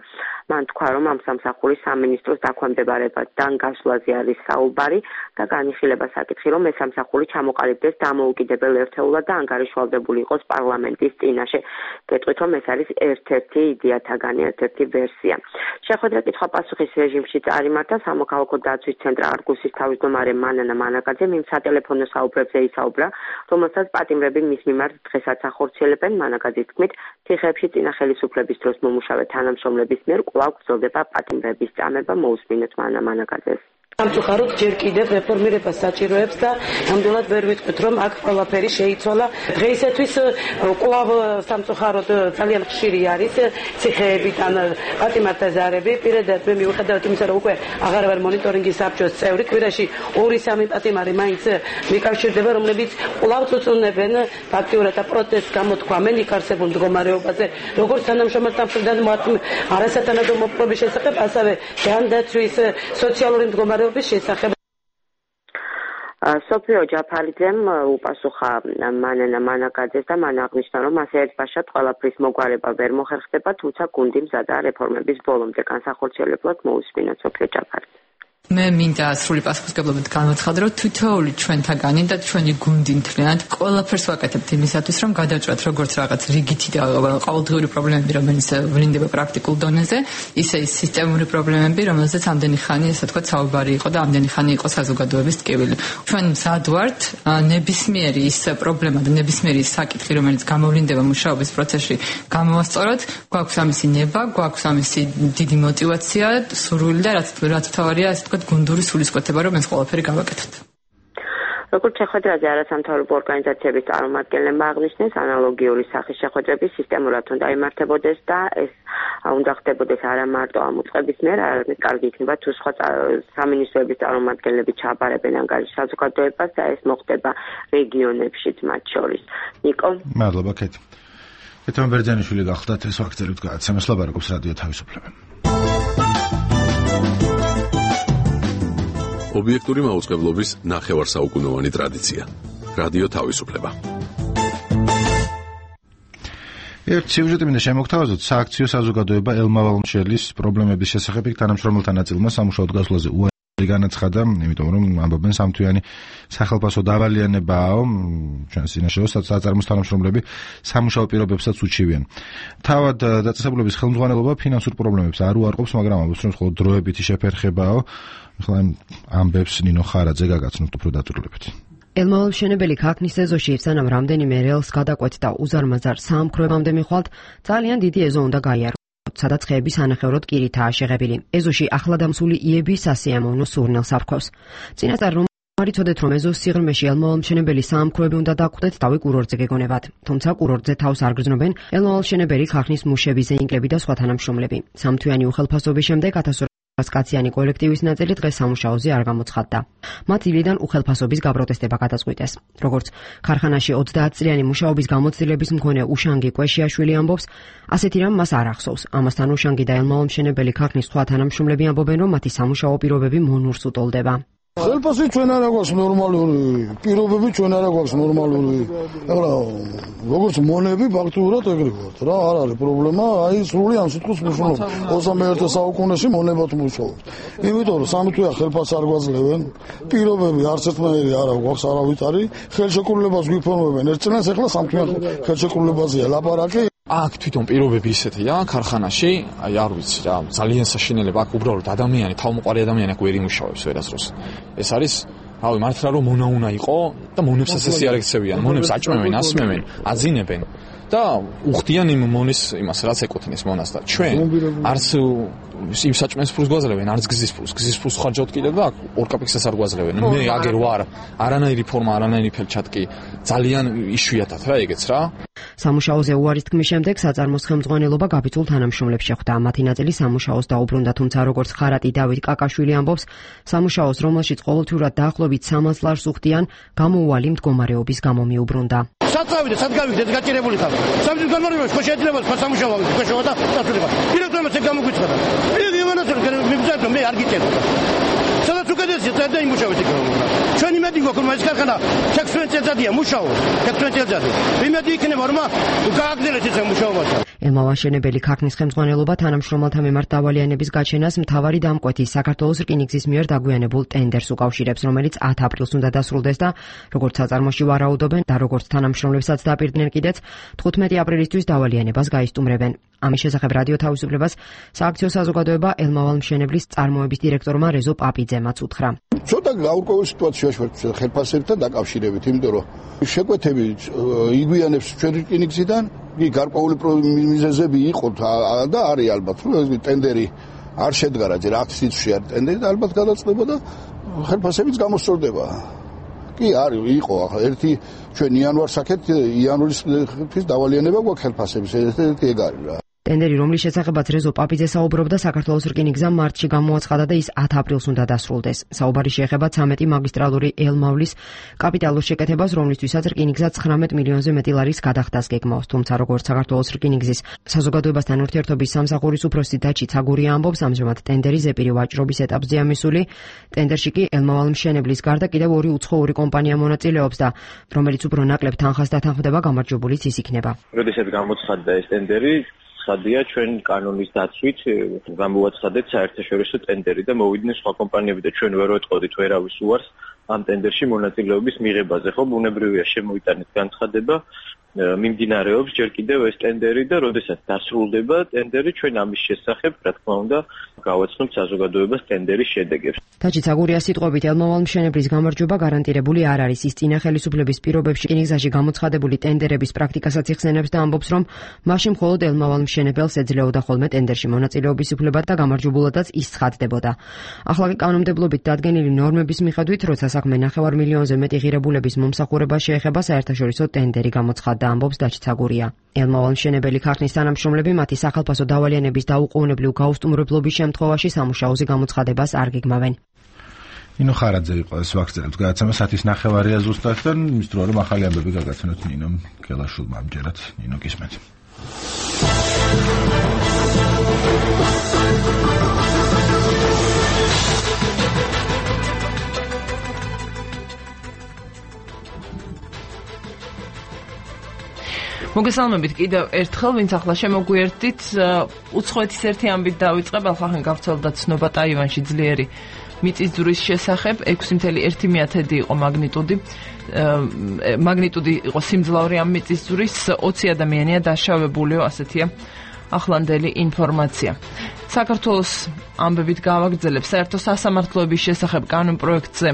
მან თქვა, რომ ამ სამსახურის სამინისტროს დაქვემდებარებასთან გასვლაზე არის საუბარი და განიხილება საკითხი, რომ ეს სამსახური ჩამოყალიბდეს დამოუკიდებელ ერთეულად და ანგარიშვალდებული იყოს პარლამენტის წინაშე. გეტყვით, რომ ეს არის ერთ-ერთი იდეათაგანი, ერთ-ერთი ვერსია. შეხვედრა კითხვა-პასუხის რეჟიმში წარიმართა სამოქალაქო დაცვის ცენტრ არგუსის თავმჯდომარე მანანა მანაკაძემ იმ სატელეფონო საუბრებზე ისაუბრა, რომელსაც პატიმრები მის მიმართ დღესაც ახორციელებენ. მანაკაძის თქმით, თიხებში წინა ხელისუფლების დროს მომუშავე თანამშრომლების მიერ კვლავ გრძელდება პატიმრების წამება. მოусმინოთ მანაკაძეს. სამწუხაროდ ჯერ კიდევ რეფორმირებას საჭიროებს და ნამდვილად ვერ ვიტყვით რომ აქ ყველაფერი შეიცვალა. დღეისათვის კვლავ სამწუხაროდ ძალიან ხშირი არის ციხეებიდან პატიმართა ზარები. პირადად მე მიუხედავად იმისა რომ უკვე აღარ ვარ მონიტორინგის საბჭოს წევრი, კვირაში 2-3 პატიმარი მაინც მიკავშირდება, რომლებიც კვლავ წუწუნებენ ფაქტიურად და პროტესტს გამოთქვამენ იქ არსებულ მდგომარეობაზე, როგორც თანამშრომელთა მხრიდან არასათანადო მოპყრობის შესახებ, ასევე ჯანდაცვის სოციალური მდგომარეობის შესახებ. სოფიო ჯაფარიძემ უპასუხა მანანა მანაკაძეს და მან აღნიშნა, რომ ასე ერთბაშად ყველაფრის მოგვარება ვერ მოხერხდება, თუმცა გუნდი მზადაა რეფორმების ბოლომდე. განსახორციელებლად მოусმინოთ სოფიო ჯაფარიძე. მე მინდა სრული პასუხისგებლობით განვაცხადო, რომ თითოეული ჩვენთაგანი და ჩვენი გუნდი მთლიანად ყველაფერს ვაკეთებთ იმისათვის, რომ გადავჭრათ როგორც რაღაც რიგითი და ყოველდღიური პრობლემები, რომელიც ვლინდება პრაქტიკულ დონეზე, ისე ის სისტემური პრობლემები, რომელზეც ამდენი ხანი, ასე ვთქვათ, საუბარი იყო და ამდენი ხანი იყო საზოგადოების ტკივილი. ჩვენ მზად ვართ ნებისმიერი ის პრობლემა და ნებისმიერი ის საკითხი, რომელიც გამოვლინდება მუშაობის პროცესში, გამოვასწოროთ, გვაქვს ამისი ნება, გვაქვს ამისი დიდი мотиваცია, სურვილი და რაც თავარია, ასე ვთქვათ, გუნდური სულისკვეთება, რომ ეს ყველაფერი გავაკეთოთ. როგორც შეხვედრაზე არასამთავრობო ორგანიზაციების წარმომადგენლებმა აღნიშნეს, ანალოგიური სახის შეხვედრები სისტემურად უნდა იმართებოდეს და ეს უნდა ხდებოდეს არა მარტო ამ უწყების მიერ, არამედ კარგი იქნება თუ სხვა სამინისტროების წარმომადგენლები ჩააბარებენ ანგარიშ საზოგადოებას და ეს მოხდება რეგიონებშიც მათ შორის. ნიკო. მადლობა კეთი. კეთმა ბერძენიშვილი გახლდათ ეს ფაქტებით გააცემეს ლაბარაკობს რადიო თავისუფლება. ობიექტური მაუწყებლობის ნახევარსაუკუნოვანი ტრადიცია. რადიო თავისუფლება. ერთ სიუჟეტი მინდა შემოგთავაზოთ, სააქციო საზოგადოება ელმავალ-მშელის პრობლემების შესახებ თანამშრომელთა ნაწილმა სამუშაოდ გასვლაზე უარი განაცხადა, იმიტომ რომ ამბობენ სამთვიანი სახელმწიფო დავალიანებაა, ჩვენს წინაშეო საწარმოს თანამშრომლები სამუშაო პირობებსაც უჩივიან. თავად დაწესებულების ხელმძღვანელობა ფინანსურ პრობლემებს არ უარყოფს, მაგრამ ამბობს, რომ მხოლოდ დროებითი შეფერხებაა. ახლა ამბებს ნინო ხარაძე გაგაცნობთ უფრო დაწვრილებით. ელმავალ-მშენებელი ქარხნის ეზოში სანამ რამდენიმე რეელს გადაკვეთ და უზარმაზარ საამქროებამდე მიხვალთ, ძალიან დიდი ეზო უნდა გაიაროთ, სადაც ხეების ანახევროდ კირითაა შეღებილი. ეზოში ახლადამსული იები სასიამოვნო სურნელს აფრქვევს. წინასწარ რომ არიცოდეთ, რომ ეზოს სიღრმეში ელმავალ-მშენებელი საამქროები უნდა დაკვდეთ, თავი კურორტზე გეგონებათ. თუმცა კურორტზე თავს არ გრძნობენ ელმავალ-მშენებელი ქარხნის მუშები, ზეინკლები და სხვა თანამშრომლები. სამთვიანი უხელფასობის შემდეგ 1200 კაციანი კოლექტივის ნაწილი დღეს სამუშაოზე არ გამოცხადდა. მათ ილიდან უხელფასობის გაპროტესტება გადაწყვიტეს. როგორც ქარხანაში 30 წლიანი მუშაობის გამოცდილების მქონე უშანგი კვეშიაშვილი ამბობს, ასეთი რამ მას არ ახსოვს. ამასთან უშანგი და ელმავალ-მშენებელი ქარხნის სხვა თანამშრომლები ამბობენ, რომ მათი სამუშაო პირობები მონურს უტოლდება. ხელფასი ჩვენ არ აქვს ნორმალური, პირობები ჩვენ არ აქვს ნორმალური. ეხლა როგორც მონები ფაქტურად ეგრე ვართ რა, არ არის პრობლემა, აი სრული ამ სიტყვის მნიშვნელობა. 21 საუკუნეში მონებად მუშაობთ. იმიტომ რომ სამთვია ხელფასს არ გვაძლევენ, პირობები არც ერთნაირი არ აქვს არავითარი, ხელშეკრულებას გვიფორმებენ ერთ წლიანს, ეხლა სამთვიან ხელშეკრულებაზეა ლაპარაკი. აქ თვითონ პირობები ისეთია ქარხანაში, აი არ ვიცი რა, ძალიან საშინელება, აქ უბრალოდ ადამიანი, თავმოყარი ადამიანი აქ ვერ იმუშავებს ვერასდროს. ეს არის, რავი, მართლა რომ მონა იყო და მონებს ასე არ ექცევიან, მონებს აჭმევენ, ასმევენ, აძინებენ და უხდიან იმ მონის იმას, რაც ეკუთვნის მონას და ჩვენ არც იმ საჭმელს ფულს გვაძლევენ, არც გზის ფულს ხარჯავთ კიდევ და 2 კაპექსას არ გვაძლევენ. მე აგერ ვარ, არანაირი ფორმა, არანაირი ფელჩატკი, ძალიან იშვიათად რა ეგეც რა. სამუშაოზე უარის თქმის შემდეგ საწარმოს ხელმძღვანელობა გაბიძულ თანამშრომლებს შეხვდა. მათი ნაწილი სამუშაოს დაუბრუნდა, თუმცა როგორც ხარატი დავით კაკაშვილი ამბობს, სამუშაოს, რომელშიც ყოველთვიურად დაახლოებით 300 ლარს უხდიან, გამოუვალი მდგომარეობის გამო მიუბრუნდა. საწავიდე, სად გავიგდეთ გაჭირებული ხარ. სამწუხაროდ განმარტებას ხო შეიძლება სამუშაო გაშოვა და დასრულება. დირექტორმა ეს გამოგვიცხადა. მე მანასწორ მიბძანე მე არ გიწერდა. სადაც უკეთესია და იმუშავეთ იქ. ჩვენ იმედი გვაქვს რომ ეს ქარხანა 16 წელიწადია მუშაობს. 16 წელიწადი. იმედი იქნება რომ გააგრძელეთ ეს მუშაობა. ელმავალ-მშენებელი ქარხნის ხელმძღვანელობა თანამშრომელთა მიმართ დავალიანების გაჩენას მთავარი დამკვეთის საქართველოს რკინიგზის მიერ დაგვიანებულ ტენდერს უკავშირებს, რომელიც 10 აპრილს უნდა დასრულდეს და როგორც საწარმოში ვარაუდობენ და როგორც თანამშრომლებსაც დაპირდნენ კიდეც 15 აპრილისთვის დავალიანებას გაისტუმრებენ. ამის შესახებ რადიო თავისუფლებას სააქციო საზოგადოება ელმავალ-მშენებლის წარმოების დირექტორმა რეზო პაპიძემაც უთხრა. ცოტა გაურკვეველ სიტუაციაში ვართ ხელფასებთან დაკავშირებით, იმიტომ რომ შეკვეთები იგვიანებს ჩვენ რკინიგზიდან, კი გარკვეული მიზეზები იყო და არის ალბათ, რომ ეს ტენდერი არ შედგა რაძე რა სიცოცხლე არ ტენდერი და ალბათ გადაწყდება და ხელფასებიც გამოსწორდება. კი არის იყო ახლა ერთი ჩვენ იანვარს აქეთ იანვრის დავალიანება გვაქვს ხელფასების ერთ-ერთი ეგ არის რა. ტენდერი, რომლის შესახებაც რეზო პაპიძე საუბრობდა, საქართველოს რკინიგზამ მარტში გამოაცხადა და ის 10 აპრილს უნდა დასრულდეს. საუბარი შეეხება 13 მაგისტრალური ელ-მავლის კაპიტალურ შეკეთებას, რომლისთვისაც რკინიგზა 19 მილიონზე მეტი ლარის გადახდას გეგმავს. თუმცა როგორც საქართველოს რკინიგზის საზოგადოებასთან ურთიერთობის სამსახურის უფროსი დაჩი ცაგურია ამბობს, ამჟამად ტენდერი ზეპირი ვაჭრობის ეტაპზეა მისული. ტენდერში კი ელ-მავალ მშენებლის გარდა კიდევ ორი უცხოური კომპანია მონაწილეობს და რომელიც უფრო ნაკლებ თანხას დათანხმდება, გამარჯვებულიც ის იქნება. როდესაც გამოცხადდა ეს ტენდერი ხადია ჩვენ კანონის დაცვით გამოაცხადეთ საერთაშორისო ტენდერი და მოვიდნენ სხვა კომპანიები და ჩვენ ვერ ვეტყოდით ვერავის უარს ამ ტენდერში მონაწილეობის მიღებაზე. ხო, ბუნებრივია შემოიტანეთ განცხადება, მიმდინარეობს ჯერ კიდევ ეს ტენდერი და როდესაც დასრულდება ტენდერი, ჩვენ ამის შესახებ, რა თქმა უნდა, გავაცნობთ საზოგადოებას ტენდერის შედეგებს. დაჩი ცაგურიას სიტყვებით ელ-მავალ მშენებლის გამარჯვება გარანტირებული არ არის. ის წინა ხელისუფლების პირობებში რკინიგზაში გამოცხადებული ტენდერების პრაქტიკასაც იხსენებს და ამბობს, რომ მაშინ მხოლოდ ელ-მავალ მშენებელს ეძლეოდა ხოლმე ტენდერში მონაწილეობის უფლება და გამარჯვებულადაც ის ცხადდებოდა. ახლა კი კანონმდებლობით დადგენილი ნორმების მიხედვით, როცა საქმე 9 მილიონზე მეტი ღირებულების მომსახურებას შეეხება, საერთაშორისო ტენდერი გამოცხადდა, ამბობს დაჩი ცაგურია. ელ-მავალ მშენებელი ქარხნის თანამშრომლები მათი სახელმწიფო დავალიანების დაუყოვნებლივ გაუსტუმრებლობის შემთხვევაში სამუშაოზე გამოცხადებას არ გეგმავენ. ნინო ხარაძე იყო ეს ვაქცინებს გადაცემა 1:09 ზუსტად და მის დრო რომ ახალი ამბები გაგაცნოთ ნინომ გელაშულმა ამჯერად. ნინო გისმენთ. მოგესალმებით კიდევ ერთხელ, ვინც ახლა შემოგვიერთდით, უცხოეთის ერთი ამბით დავიწყებ, ახლა გავრცელდა ცნობა ტაივანში ძლიერი მიწისძვრის შესახებ, 6.1 იყო მაგნიტუდი იყო სიმძლავრე ამ მიწისძვრის, 20 ადამიანია დაშავებულიო, ასეთია ახლანდელი ინფორმაცია. საქართველოს ამბებით გავაგრძელებ საერთო სასამართლოების შესახებ კანონპროექტზე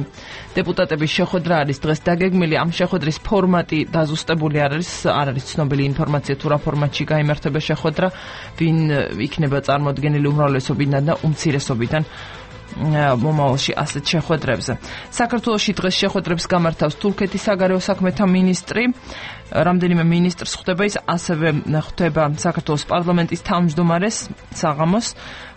დეპუტატების შეხვედრა არის დღეს დაგეგმილი. ამ შეხვედრის ფორმატი დაზუსტებული არ არის ცნობილი ინფორმაცია თუ რა ფორმატში გაიმართება შეხვედრა, ვინ იქნება წარმოდგენილი უმრავლესობიდან და უმცირესობიდან მომავალში ასეთ შეხვედრებზე. საქართველოში დღეს შეხვედრებს გამართავს თურქეთის საგარეო საქმეთა მინისტრი. რამდენიმე მინისტრს ხვდება ის, ასევე ხვდება საქართველოს პარლამენტის თავმჯდომარეს საღამოს.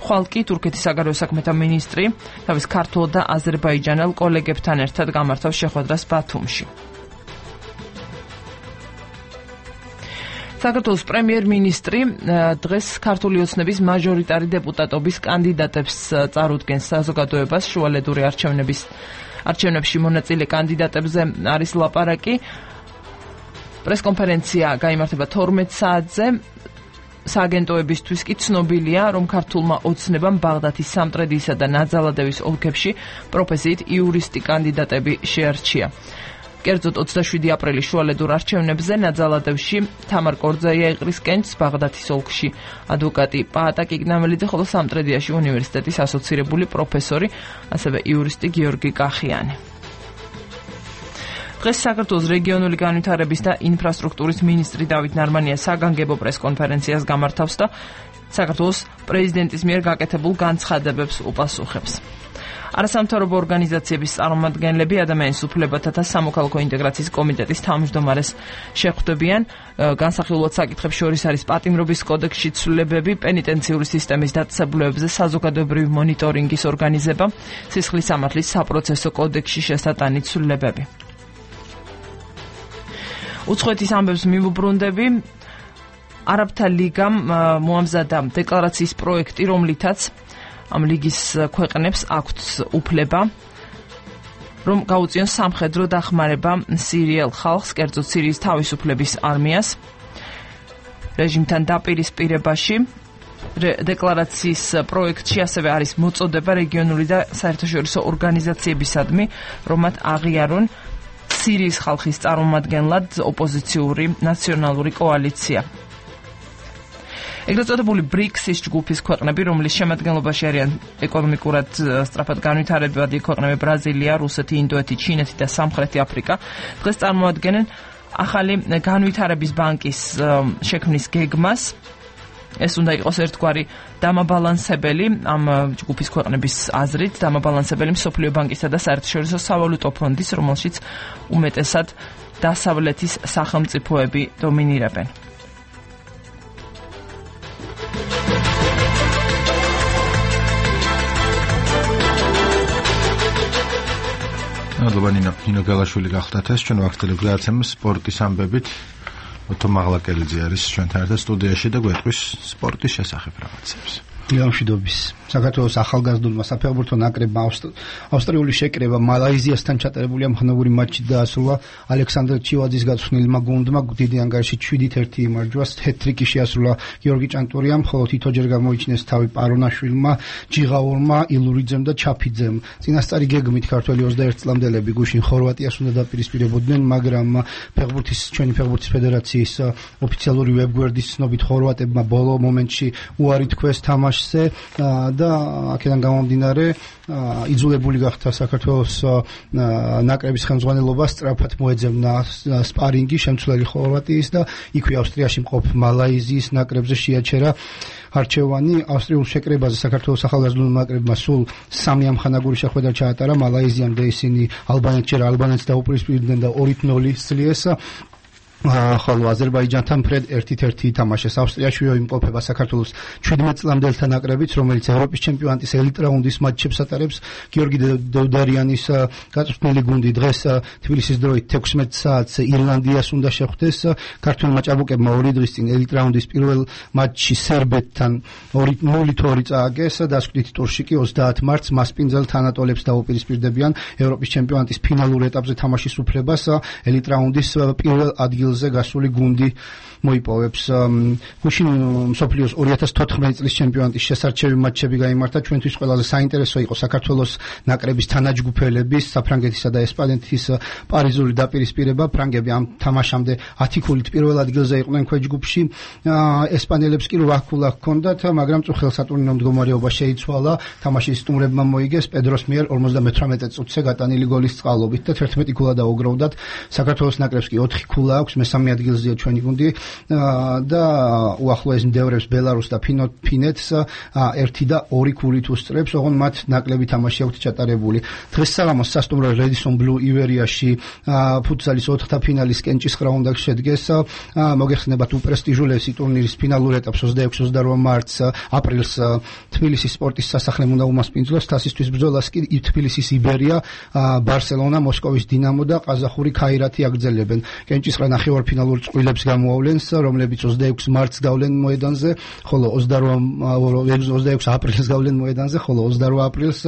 ხვალ კი თურქეთის საგარეო საქმეთა მინისტრი თავის ქართულ და აზერბაიჯანელ კოლეგებთან ერთად გამართავს შეხვედრას ბათუმში. საქართველოს პრემიერ-მინისტრი დღეს ქართული ოცნების მაჟორიტარი დეპუტატობის კანდიდატებს წარუდგენს საზოგადოებას. შუალედური არჩევნებში მონაწილე კანდიდატებზე არის ლაპარაკი. პრესკონფერენცია გაიმართება 12 საათზე. სააგენტოებისთვის კი ცნობილია, რომ ქართულმა ოცნებამ ბაღდათის, სამტრედისა და ნაძალადევის ოლქებში პროფესიით იურისტი კანდიდატები შეარჩია. კერძოდ 27 აპრილის შუალედურ არჩევნებზე ნაძალადევში თამარ კორძაია იყრის კენჭს, ბაღდათის ოლქში ადვოკატი პაატა კიგნამელიძე, ხოლო სამტრედიაში უნივერსიტეტის ასოცირებული პროფესორი, ასევე იურისტი გიორგი კახიანი. დღეს საქართველოს რეგიონული განვითარების და ინფრასტრუქტურის მინისტრი დავით ნარმანია საგანგებო პრესკონფერენციას გამართავს და საქართველოს პრეზიდენტის მიერ გაკეთებულ განცხადებებს უპასუხებს. არასამთავრობო ორგანიზაციების წარმომადგენლები ადამიანის უფლებათა და სამოქალაქო ინტეგრაციის კომიტეტის თავმჯდომარეს შეხვდებიან. განსახილულად საკითხებს შორის არის პატიმრობის კოდექსში ცვლილებები, პენიტენციური სისტემის დაწესებულებებზე საზოგადოებრივი მონიტორინგის ორგანიზება, სისხლის სამართლის საპროცესო კოდექსში შესატანი ცვლილებები. უცხოეთის ამბებს მივუბრუნდები. არაბთა ლიგამ მოამზადა დეკლარაციის პროექტი, რომლითაც ამ ლიგის ქვეყნებს აქვთ უფლება, რომ გაუწიონ სამხედრო დახმარება სირიელ ხალხს, კერძოდ სირიის თავისუფლების არმიას რეჟიმთან დაპირისპირებაში. დეკლარაციის პროექტში ასევე არის მოწოდება რეგიონული და საერთაშორისო ორგანიზაციებისადმი, რომ მათ აღიარონ სირიის ხალხის წარმომადგენლად ოპოზიციური ნაციონალური კოალიცია. ეგრეთ წოდებული ბრიქსის ჯგუფის ქვეყნები, რომლის შემადგენლობაში არიან ეკონომიკურად სწრაფად განვითარებადი ქვეყნები ბრაზილია, რუსეთი, ინდოეთი, ჩინეთი და სამხრეთი აფრიკა, დღეს წარმოადგენენ ახალი განვითარების ბანკის შექმნის გეგმას. ეს უნდა იყოს ერთგვარი დამაბალანსებელი ამ ჯგუფის ქვეყნების აზრით, დამაბალანსებელი მსოფლიო ბანკისა და საერთაშორისო სავალუტო ფონდის, რომელშიც უმეტესად დასავლეთის სახელმწიფოები დომინირებენ. მადლობა ნინო გალაშვილი გახდათ ეს ჩვენ ვახტელებ გადაცემას სპორტის ამბებით. ოთო მაღლაკელიძე არის ჩვენთან ერთად სტუდიაში და გვეტყვის სპორტის შესახებ რაღაცებს. მშვიდობის. საქართველოს ახალგაზრდულმა საფეხბურთო ნაკრებმა ავსტრიული შეკრება მალაიზიასთან ჩატარებული ამხნევური მატჩი დაასრულა. ალექსანდრე ჩივაძის გაწვრთნილმა გუნდმა დიდი ანგარიში 7-1 იმარჯვას, ჰეტ-ტრიკი შეასრულა გიორგი ჭანტურიამ, ხოლო თითოჯერ გამოიჩინეს თავი პარონაშვილმა, ჯიღაურმა, ილურიძემ და ჩაფიძემ. წინასწარი გეგმით ქართველი 21 წლამდელები გუშინ ხორვატიას უნდა დაპირისპირებოდნენ, მაგრამ ჩვენი ფეხბურთის ფედერაციის ოფიციალური ვებგვერდის ცნობით ხორვატებმა ბოლო მომენტში უარი თქვეს თამაშზე და აქედან გამომდინარე იძულებული გახდა საქართველოს ნაკრების ხელმძღვანელობა სწრაფად მოეძებნა სპარინგი შემცვლელი ხორვატიის და იქვე ავსტრიაში მყოფ მალაიზიის ნაკრებზე შეაჩერა არჩევანი. ავსტრიულ შეკრებაზე საქართველოს ახალგაზრდულ ნაკრებმა სულ 3 ამხანაგური შეხვედრა ჩაატარა. მალაიზიამდე ისინი ალბანეთს დაუპირისპირდნენ და 2-0 სძლიეს. ხოლო აზერბაიჯანთან ფრედ 1-1 ითამაშეს. ავსტრიაში იმყოფება საქართველოს 17 წლამდელთა ნაკრებიც, რომელიც ევროპის ჩემპიონატის ელიტ რაუნდის მატჩებს ატარებს. გიორგი დევდარიანის გაწვრთნილი გუნდი დღეს თბილისის დროით 16 საათს ირლანდიას უნდა შეხვდეს. ქართველმა ჭაბუკებმა 2 დღის წინ ელიტ რაუნდის პირველ მატჩში სერბეთთან 0-2 წააგეს. დასკვნითი ტურში კი 30 მარტს მასპინძელ თანატოლებს დაუპირისპირდებიან ევროპის ჩემპიონატის ფინალურ ეტაპზე თამაშის უფლებას. ელიტ რაუნდის პირველ ადგილზე გასული გუნდი მოიპოვებს. გუშინ მსოფლიოს 2014 წლის ჩემპიონატის შესარჩევი მატჩები გაიმართა. ჩვენთვის ყველაზე საინტერესო იყო საქართველოს ნაკრების თანაჯგუფელების, საფრანგეთისა და ესპანეთის პარიზული დაპირისპირება. ფრანგები ამ თამაშამდე 10 ქულით პირველ ადგილზე იყვნენ ქვეჯგუფში. ესპანელებს კი 8 ქულა ჰქონდათ, მაგრამ წუხელ-სატურნირო მდგომარეობა შეიცვალა. თამაშის სტუმრებმა მოიგეს პედროს მიერ 58 წუთზე გატანილი გოლის წყალობით და 11 ქულა დაუგროვდათ. საქართველოს ნაკრებს კი 4 ქულა აქვს, მესამე ადგილზეა ჩვენი გუნდი და უახლოეს მდევრებს ბელარუსს და ფინეთს 1 და 2 ქულით უსწრებს, ოღონდ მათ ნაკლები თამაში აქვთ ჩატარებული. დღეს საღამოს სასტუმრო რედისონ ბლუ ივერიაში ფუტსალის 4-თა ფინალის კენჭისყრა უნდა შედგეს. მოგეხსენებათ უპრესტიჟულესი ტურნირის ფინალურ ეტაპს 26-28 მარტს აპრილს თბილისის სპორტის სასახლემ უნდა უმასპინძლოს. თასისთვის ბრძოლას კი თბილისის იბერია, ბარსელონა, მოსკოვის დინამო და ყაზახური ქაირათი აგრძელებენ. კენჭისყრა ნახევარფინალურ წყვილებს გამოავლენს, რომლებიც 26 მარტს გავლენ მოედანზე, ხოლო 26 აპრილს გავლენ მოედანზე, ხოლო 28 აპრილს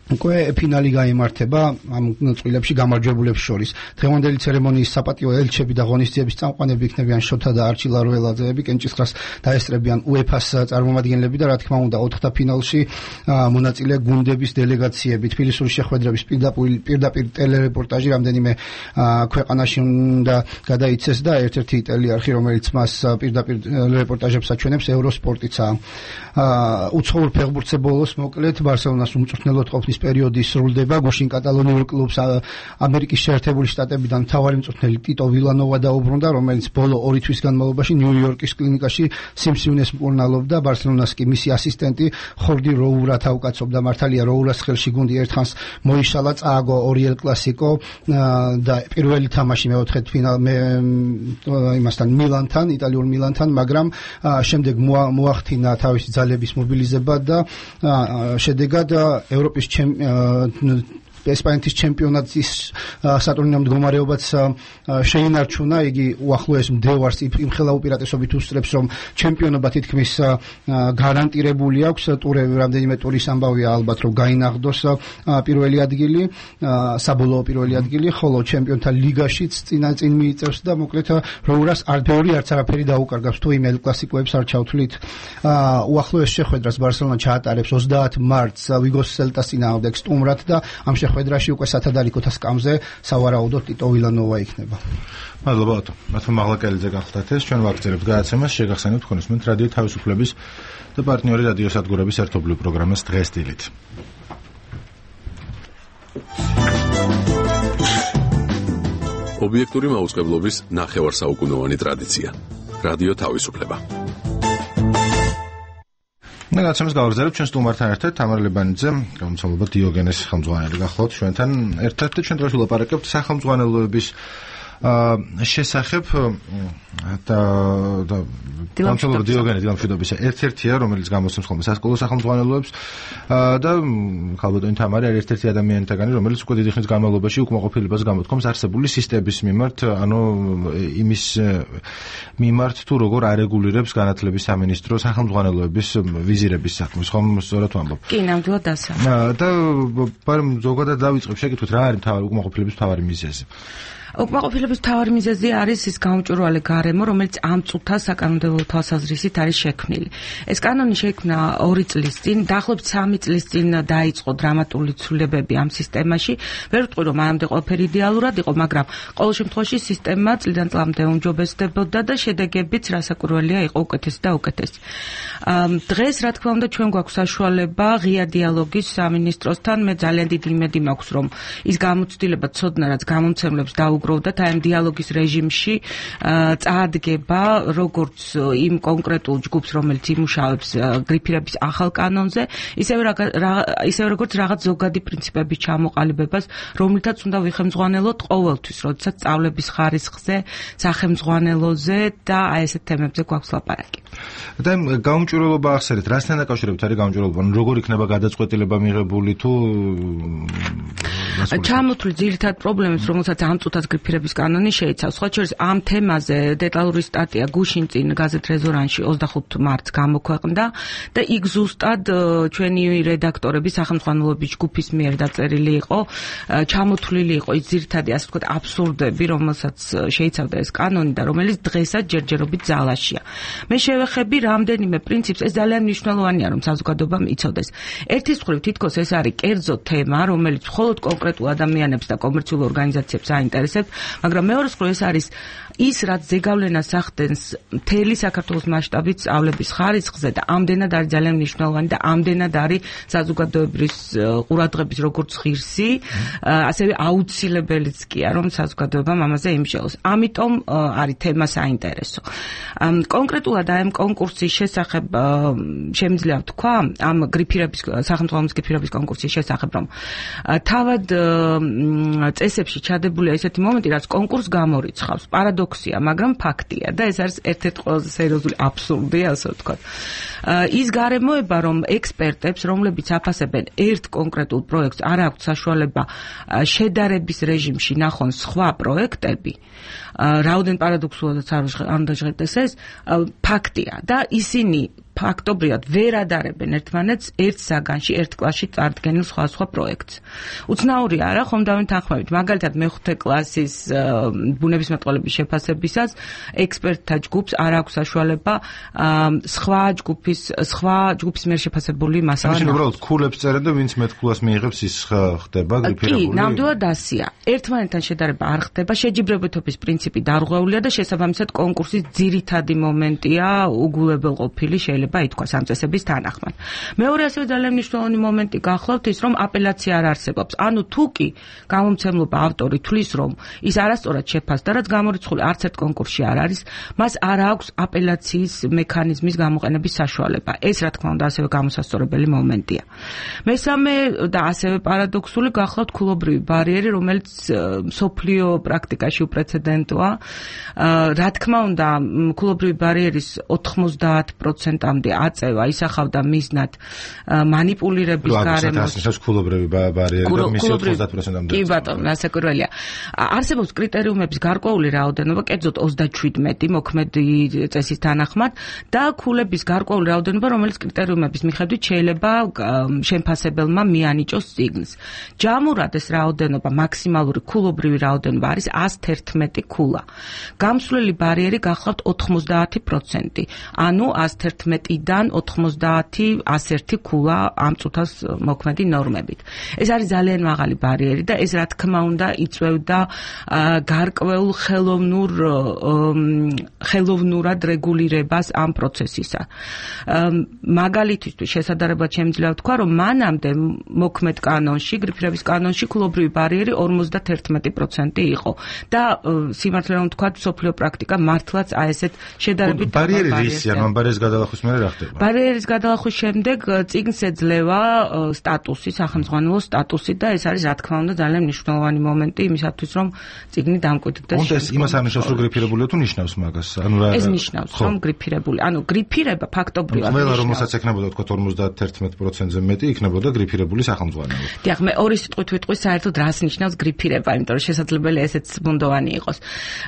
უკვე ფინალი გაიმართება ამ წყვილებში გამარჯვებულებს შორის. დღევანდელი ცერემონიის საპატიო ელჩები და ღონისძიების წამყვანები იქნებიან შოთა და არჩილ არველაძეები, კენჭისყრას დაესწრებიან UEFA-ს წარმომადგენლები და რა თქმა უნდა 4-თა ფინალში მონაწილე გუნდების დელეგაციები. თბილისური შეხვედრების პირდაპირ ტელერეპორტაჟი რამდენიმე ქვეყანაში უნდა გადაიცეს და ერთ-ერთი ტელეარხი, რომელიც მას პირდაპირ რეპორტაჟებს აჩვენებს, ევროსპორტიცაა. უცხოურ ფეხბურთზე ბოლოს მოკლედ ბარსელონას უმწვრთნელოდ ყოფნის პერიოდი სრულდება. გუშინ კატალონიურ კლუბს ამერიკის შეერთებული შტატებიდან მთავარი მწვრთნელი ტიტო ვილანოვა დაუბრუნდა, რომელიც ბოლო 2 თვის განმავლობაში ნიუ-იორკის კლინიკაში სიმსივნეს მკურნალობდა. ბარსელონას კი მისი ასისტენტი ხორდი როურა თავკაცობდა. მართალია როურას ხელში გუნდი ერთხანს მოიშალა, წააგო 2 ელ კლასიკო და პირველი თამაში მეოთხედ იმასთან მილანთან, იტალიურ მილანთან, მაგრამ შემდეგ მოახდინა თავისი ძალების მობილიზება და შედეგად ევროპის ესპანეთის ჩემპიონატის სატურნირო მდგომარეობაც შეინარჩუნა. იგი უახლოეს მდევარს იმხელა უპირატესობით უსწრებს, რომ ჩემპიონობა თითქმის გარანტირებული აქვს. რამდენიმე ტურის ამბავია ალბათ, რომ გაინაღდოს პირველი ადგილი, საბოლოო პირველი ადგილი, ხოლო ჩემპიონთა ლიგაშიც წინ მიიწევს და მოკლედ როურას არც არაფერი დაუკარგავს თუ იმ ელ კლასიკოებს არ ჩავთვლით. უახლოეს შეხვედრას ბარსელონა ჩაატარებს 30 მარტს ვიგოს სელტას წინააღმდეგ სტუმრად და ამ შეხვედრაში უკვე სათადარიგოთა სკამზე სავარაუდოდ ტიტო ვილანოვა იქნება. მადლობა ბატონო მაღლაკელიძე გახდათ ეს. ჩვენ ვაგრძელებთ გადაცემას. შეგახსენებთ თქვენსმენთ რადიო თავისუფლების და პარტნიორი რადიო სადგურების ერთობლივ პროგრამას დღეს დილით. ობიექტური მაუწყებლობის ნახევარსაუკუნოვანი ტრადიცია. რადიო თავისუფლება. გადაცემას გავაგრძელებთ ჩვენ სტუმართან ერთად თამარ ლებანიძე, გამომცემლობა დიოგენეს ხელმძღვანელი გახლავთ ჩვენთან ერთად და ჩვენ დღეს ვილაპარაკებთ სახელმძღვანელოების შესახებ და გამომცემლობა დიოგენე დილამშვიდობისა ერთ-ერთია, რომელიც გამოსცემს ხოლმე სასკოლო სახელმძღვანელოებს და ქალბატონი თამარი არის ერთ-ერთი ადამიანთაგანი, რომელიც უკვე დიდი ხნის განმავლობაში უკმაყოფილებას გამოთქვამს არსებული სისტემის მიმართ, ანუ იმის მიმართ თუ როგორ არეგულირებს განათლების სამინისტრო სახელმძღვანელოების ვიზირების საქმეს, ხომ სწორად ვამბობ? კი, ნამდვილად დასა. და ზოგადად დავიწყებ შეკითხვით, რა არის უკმაყოფილების მთავარი მიზეზი? უკმაყოფილების მთავარი მიზეზი არის ის გამჭვირვალე გარემო, რომელიც ამ წუთას საკანონმდებლო თვალსაზრისით არის შექმნილი. ეს კანონი შექმნა 2 წლის წინ, დაახლოებით 3 წლის წინ დაიწყო დრამატული ცვლილებები ამ სისტემაში. ვერ ვიტყვი, რომ მანამდე ყველაფერი идеალურად იყო, მაგრამ ყოველ შემთხვევაში სისტემა წლიდან წლამდე უმჯობესდებოდა და შედეგებიც რასაკვირველია იყო უკეთესი და უკეთესი. დღეს რა თქმა უნდა ჩვენ გვაქვს საშუალება ღია დიალოგის სამინისტროსთან. მე ძალიან დიდი იმედი მაქვს, რომ ის გამოცდილება ცოდნა, რაც გამომცემლებს დაუგროვდათ აი ამ დიალოგის რეჟიმში წაადგება როგორც იმ კონკრეტულ ჯგუფს, რომელიც იმუშავებს გრიფირების ახალ კანონზე, ისევე როგორც რაღაც ზოგადი პრინციპების ჩამოყალიბებას, რომლითაც უნდა ვიხემძღვანელოთ ყოველთვის, როდესაც სწავლების ხარისხზე, სახელმძღვანელოზე და აი ესეთ თემებზე გვაქვს ლაპარაკი. და გამჭვირვალობა ახსენეთ, რასთან დაკავშირებით არის გამჭვირვალობა? როგორ იქნება გადაწყვეტილება მიღებული თუ ჩამოთვლი ძირითად პრობლემებს, რომელსაც ამ წუთას გრიფირების კანონი შეიცავს. სხვა შორის ამ თემაზე დეტალური სტატია გუშინ წინ გაზეთ რეზონანსში 25 მარტს გამოქვეყნდა და იქ ზუსტად ჩვენი რედაქტორების სახელმძღვანელოების ჯგუფის მიერ დაწერილი იყო, ჩამოთვლილი იყო ის ძირითადი ასე ვთქვათ აბსურდები, რომელსაც შეიცავდა ეს კანონი და რომელიც დღესაც ჯერჯერობით ძალაშია. მე შევეხები რამდენიმე პრინციპს, ეს ძალიან მნიშვნელოვანია, რომ საზოგადოებამ იცოდეს. ერთის მხრივ თითქოს ეს არის კერძო თემა, რომელიც მხოლოდ კონკრეტულ ადამიანებს და კომერციულ ორგანიზაციებს აინტერესებს, მაგრამ მეორეს მხრივ ეს არის ის, რაც ზეგავლენას ახდენს მთელი საქართველოს მასშტაბით სწავლების ხარისხზე და ამდენად არის ძალიან მნიშვნელოვანი და ამდენად არის საზოგადოების ყურადღების როგორც ღირსი, ასევე აუცილებელიც კია, რომ საზოგადოებამ ამაზე იმუშაოს. ამიტომ არის თემა საინტერესო. კონკრეტულად აი ამ კონკურსის შესახებ შემიძლია ვთქვა, ამ გრიფირების სახელმძღვანელოების გრიფირების კონკურსის შესახებ, რომ თავად წესებში ჩადებულია ესეთი მომენტი, რაც კონკურსს გამორიცხავს. პარადოქსია, მაგრამ ფაქტია და ეს არის ერთ-ერთი ყველაზე სერიოზული აბსურდი, ასე ვთქვათ. ის გარემოება, რომ ექსპერტებს, რომლებიც აფასებენ ერთ კონკრეტულ პროექტს, არ აქვთ საშუალება შედარების რეჟიმში ნახონ სხვა პროექტები, რაოდენ პარადოქსულადაც არ უნდა ჟღერდეს ეს, ფაქტია და ისინი ფაქტობრივად ვერ ადარებენ ერთმანეთს ერთ საგანში, ერთ კლასში წარდგენილ სხვა პროექტს. უცნაური არა, ხომ დავინთანხმებით, მაგალითად მეხუთე კლასის ბუნებისმეტყველების შეფასებისას ექსპერტთა ჯგუფს არ აქვს საშუალება სხვა ჯგუფის მიერ შეფასებული მასალა. ამაში უბრალოდ ქულებს წერენ და ვინც მეტ ქულას მიიღებს, ის ხდება გრიფირებული. კი, ნამდვილად ასია. ერთმანეთთან შედარება არ ხდება, შეჯიბრებითობის პრინციპი დარღვეულია და შესაბამისად კონკურსის ძირითადი მომენტია უგულებელყოფილი შეიძლება ითქვას ამ წესების თანახმად. მეორე ასევე ძალიან მნიშვნელოვანი მომენტი გახლავთ ის, რომ აპელაცია არ არსებობს. ანუ თუ კი გამომცემლობა ავტორი თვლის, რომ ის არასწორად შეფასდა, რაც გამორიცხული არც ერთ კონკურსში არ არის, მას არ აქვს აპელაციის მექანიზმის გამოყენების საშუალება. ეს რა თქმა უნდა ასევე გამოსასწორებელი მომენტია. მესამე და ასევე პარადოქსული გახლავთ ქულობრივი ბარიერი, რომელიც მსოფლიო პრაქტიკაში უპრეცედენტოა. რა თქმა უნდა, ქულობრივი ბარიერის 90% აწევა ისახავდა მიზნად მანიპულირების გარემოს. ეს ქულობრივი ბარიერი და მისი 90%-ამდე. კი ბატონო, რასაკვირველია. არსებობს კრიტერიუმების გარკვეული რაოდენობა, კერძოდ 37 მოქმედი წესის თანახმად და ქულების გარკვეული რაოდენობა, რომელიც კრიტერიუმების მიხედვით შეიძლება შემფასებელმა მიანიჭოს წიგნს. ჯამურად ეს რაოდენობა, მაქსიმალური ქულობრივი რაოდენობა არის 111 ქულა. გამსვლელი ბარიერი გახლავთ 90%. ანუ 111-დან 90 101 ქულა ამ წუთას მოქმედი ნორმებით. ეს არის ძალიან მაღალი ბარიერი და ეს რა თქმა უნდა იწვევდა გარკვეულ ხელოვნურად რეგულირებას ამ პროცესისა. მაგალითისთვის შესაძლებლად შემიძლია ვთქვა, რომ მანამდე მოქმედ კანონში, გრიფირების კანონში ქულობრივი ბარიერი 51% იყო და სიმართლე რომ ვთქვა, მსოფლიო პრაქტიკა მართლაც აი ესეთ შედარებით ბარიერი რისი, ან ბარიერის გადალახვის მე მერე რა ხდება? ბარიერის გადალახვის შემდეგ წიგნს ეძლევა სტატუსი, სახელმძღვანელო სტატუსი და ეს არის რა თქმა უნდა ძალიან მნიშვნელოვანი მომენტი იმისათვის რომ წიგნი დამკვიდრდეს. უნდა ეს იმას არნიშნავს რომ გრიფირებულია თუ ნიშნავს მაგას? ანუ რა ეს ნიშნავს რომ გრიფირებული. ანუ გრიფირება ფაქტობრივად ყველა რომელსაც ეკნებოდა თქვა 51%-ზე მეტი იქნებოდა გრიფირებული სახელმძღვანელო. დიახ, მე ორი სიტყვით ვიტყვი საერთოდ რას ნიშნავს გრიფირება, იმიტომ რომ შესაძლებელია ესეც ბუნდოვანი იყოს.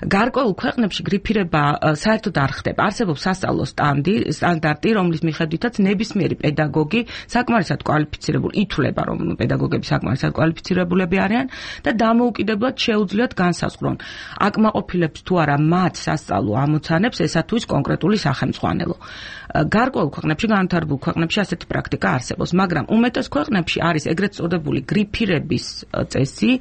გარკვეულ ქვეყნებში გრიფირება საერთოდ არ ხდება. არსებობს სასწავლო სტანდარტი, რომლის მიხედვითაც ნებისმიერი პედაგოგი საკმარისად კვალიფიცირებული ითვლება, რომ პედაგოგები საკმარისად კვალიფიცირებულები არიან და დამოუკიდებლად შეუძლიათ განსაზღვრონ. აკმაყოფილებს თუ არა მათ სასწავლო ამოცანებს ესა თუ ის კონკრეტული სახელმძღვანელო. გარკვეულ ქვეყნებში, განვითარებულ ქვეყნებში ასეთი პრაქტიკა არსებობს, მაგრამ უმეტეს ქვეყნებში არის ეგრეთ წოდებული გრიფირების წესი,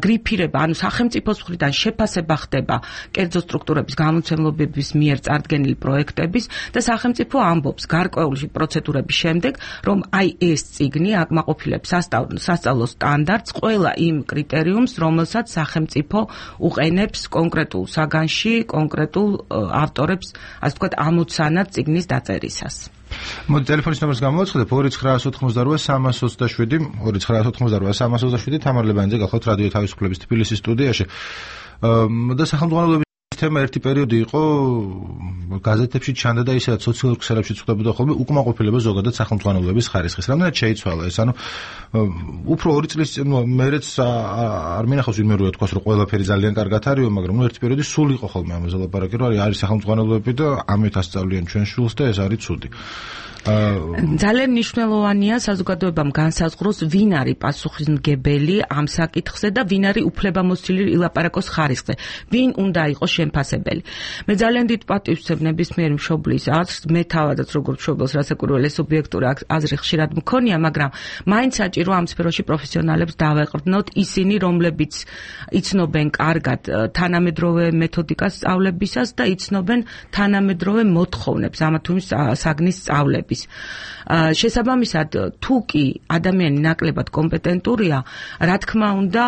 გრიფირება, ანუ სახელმწიფოს მხრიდან შეფასება ხდება კერძო სტრუქტურების გამომცემლობების მიერ წარდგენილი პროექტების და სახელმწიფო ამბობს გარკვეული პროცედურების შემდეგ, რომ აი ეს წიგნი აკმაყოფილებს სასწავლო სტანდარტს ყველა იმ კრიტერიუმს, რომელსაც სახელმწიფო უყენებს კონკრეტულ საგანში, კონკრეტულ ავტორებს, ასე ვთქვათ, ამოცანად წიგნის დაწერისას. მოდი ტელეფონის ნომერს გამოვაცხადებ 2988 388 თამარ ლებანიძე გახლავთ რადიო თავისუფლების თბილისის სტუდიაში. და სახელმძღვანელოების თემა ერთი პერიოდი იყო გაზეთებში ჩანდა და ისედაც სოციალურ ქსელებშიც ხდებოდა ხოლმე უკმაყოფილება ზოგადად სახელმძღვანელოების ხარისხის. რამდენად შეიცვალა ეს? ანუ უფრო 2 წლის წინ მერეც არ მინახავს ვინმე რო ეთქვას რომ ყველაფერი ძალიან კარგად არისო, მაგრამ ერთი პერიოდი სულ იყო ხოლმე ამაზე ლაპარაკი, რომ არის სახელმძღვანელოები და ამით ასწავლიან ჩვენ შულს და ეს არის ცუდი. ძალიან მნიშვნელოვანია საზოგადოებამ განსაზღვროს ვინ არის პასუხისმგებელი ამ საკითხზე და ვინ არის უფლებამოსილი ილაპარაკოს ხარისხზე, ვინ უნდა იყოს შემფასებელი. მე ძალიან დიდ პატივს ვცემ ნებისმიერი მშობლის აზრს, მე თავადაც როგორც მშობელს რასაკვირველია სუბიექტური აზრი ხშირად მქონია, მაგრამ მაინც საჭირო ამ სფეროში პროფესიონალებს დავეყრდნოთ, ისინი რომლებიც იცნობენ კარგად თანამედროვე მეთოდიკას სწავლებისას და იცნობენ თანამედროვე მოთხოვნებს ამა თუ იმ საგნის სწავლების. შესაბამისად, თუ კი ადამიანი ნაკლებად კომპეტენტურია, რა თქმა უნდა,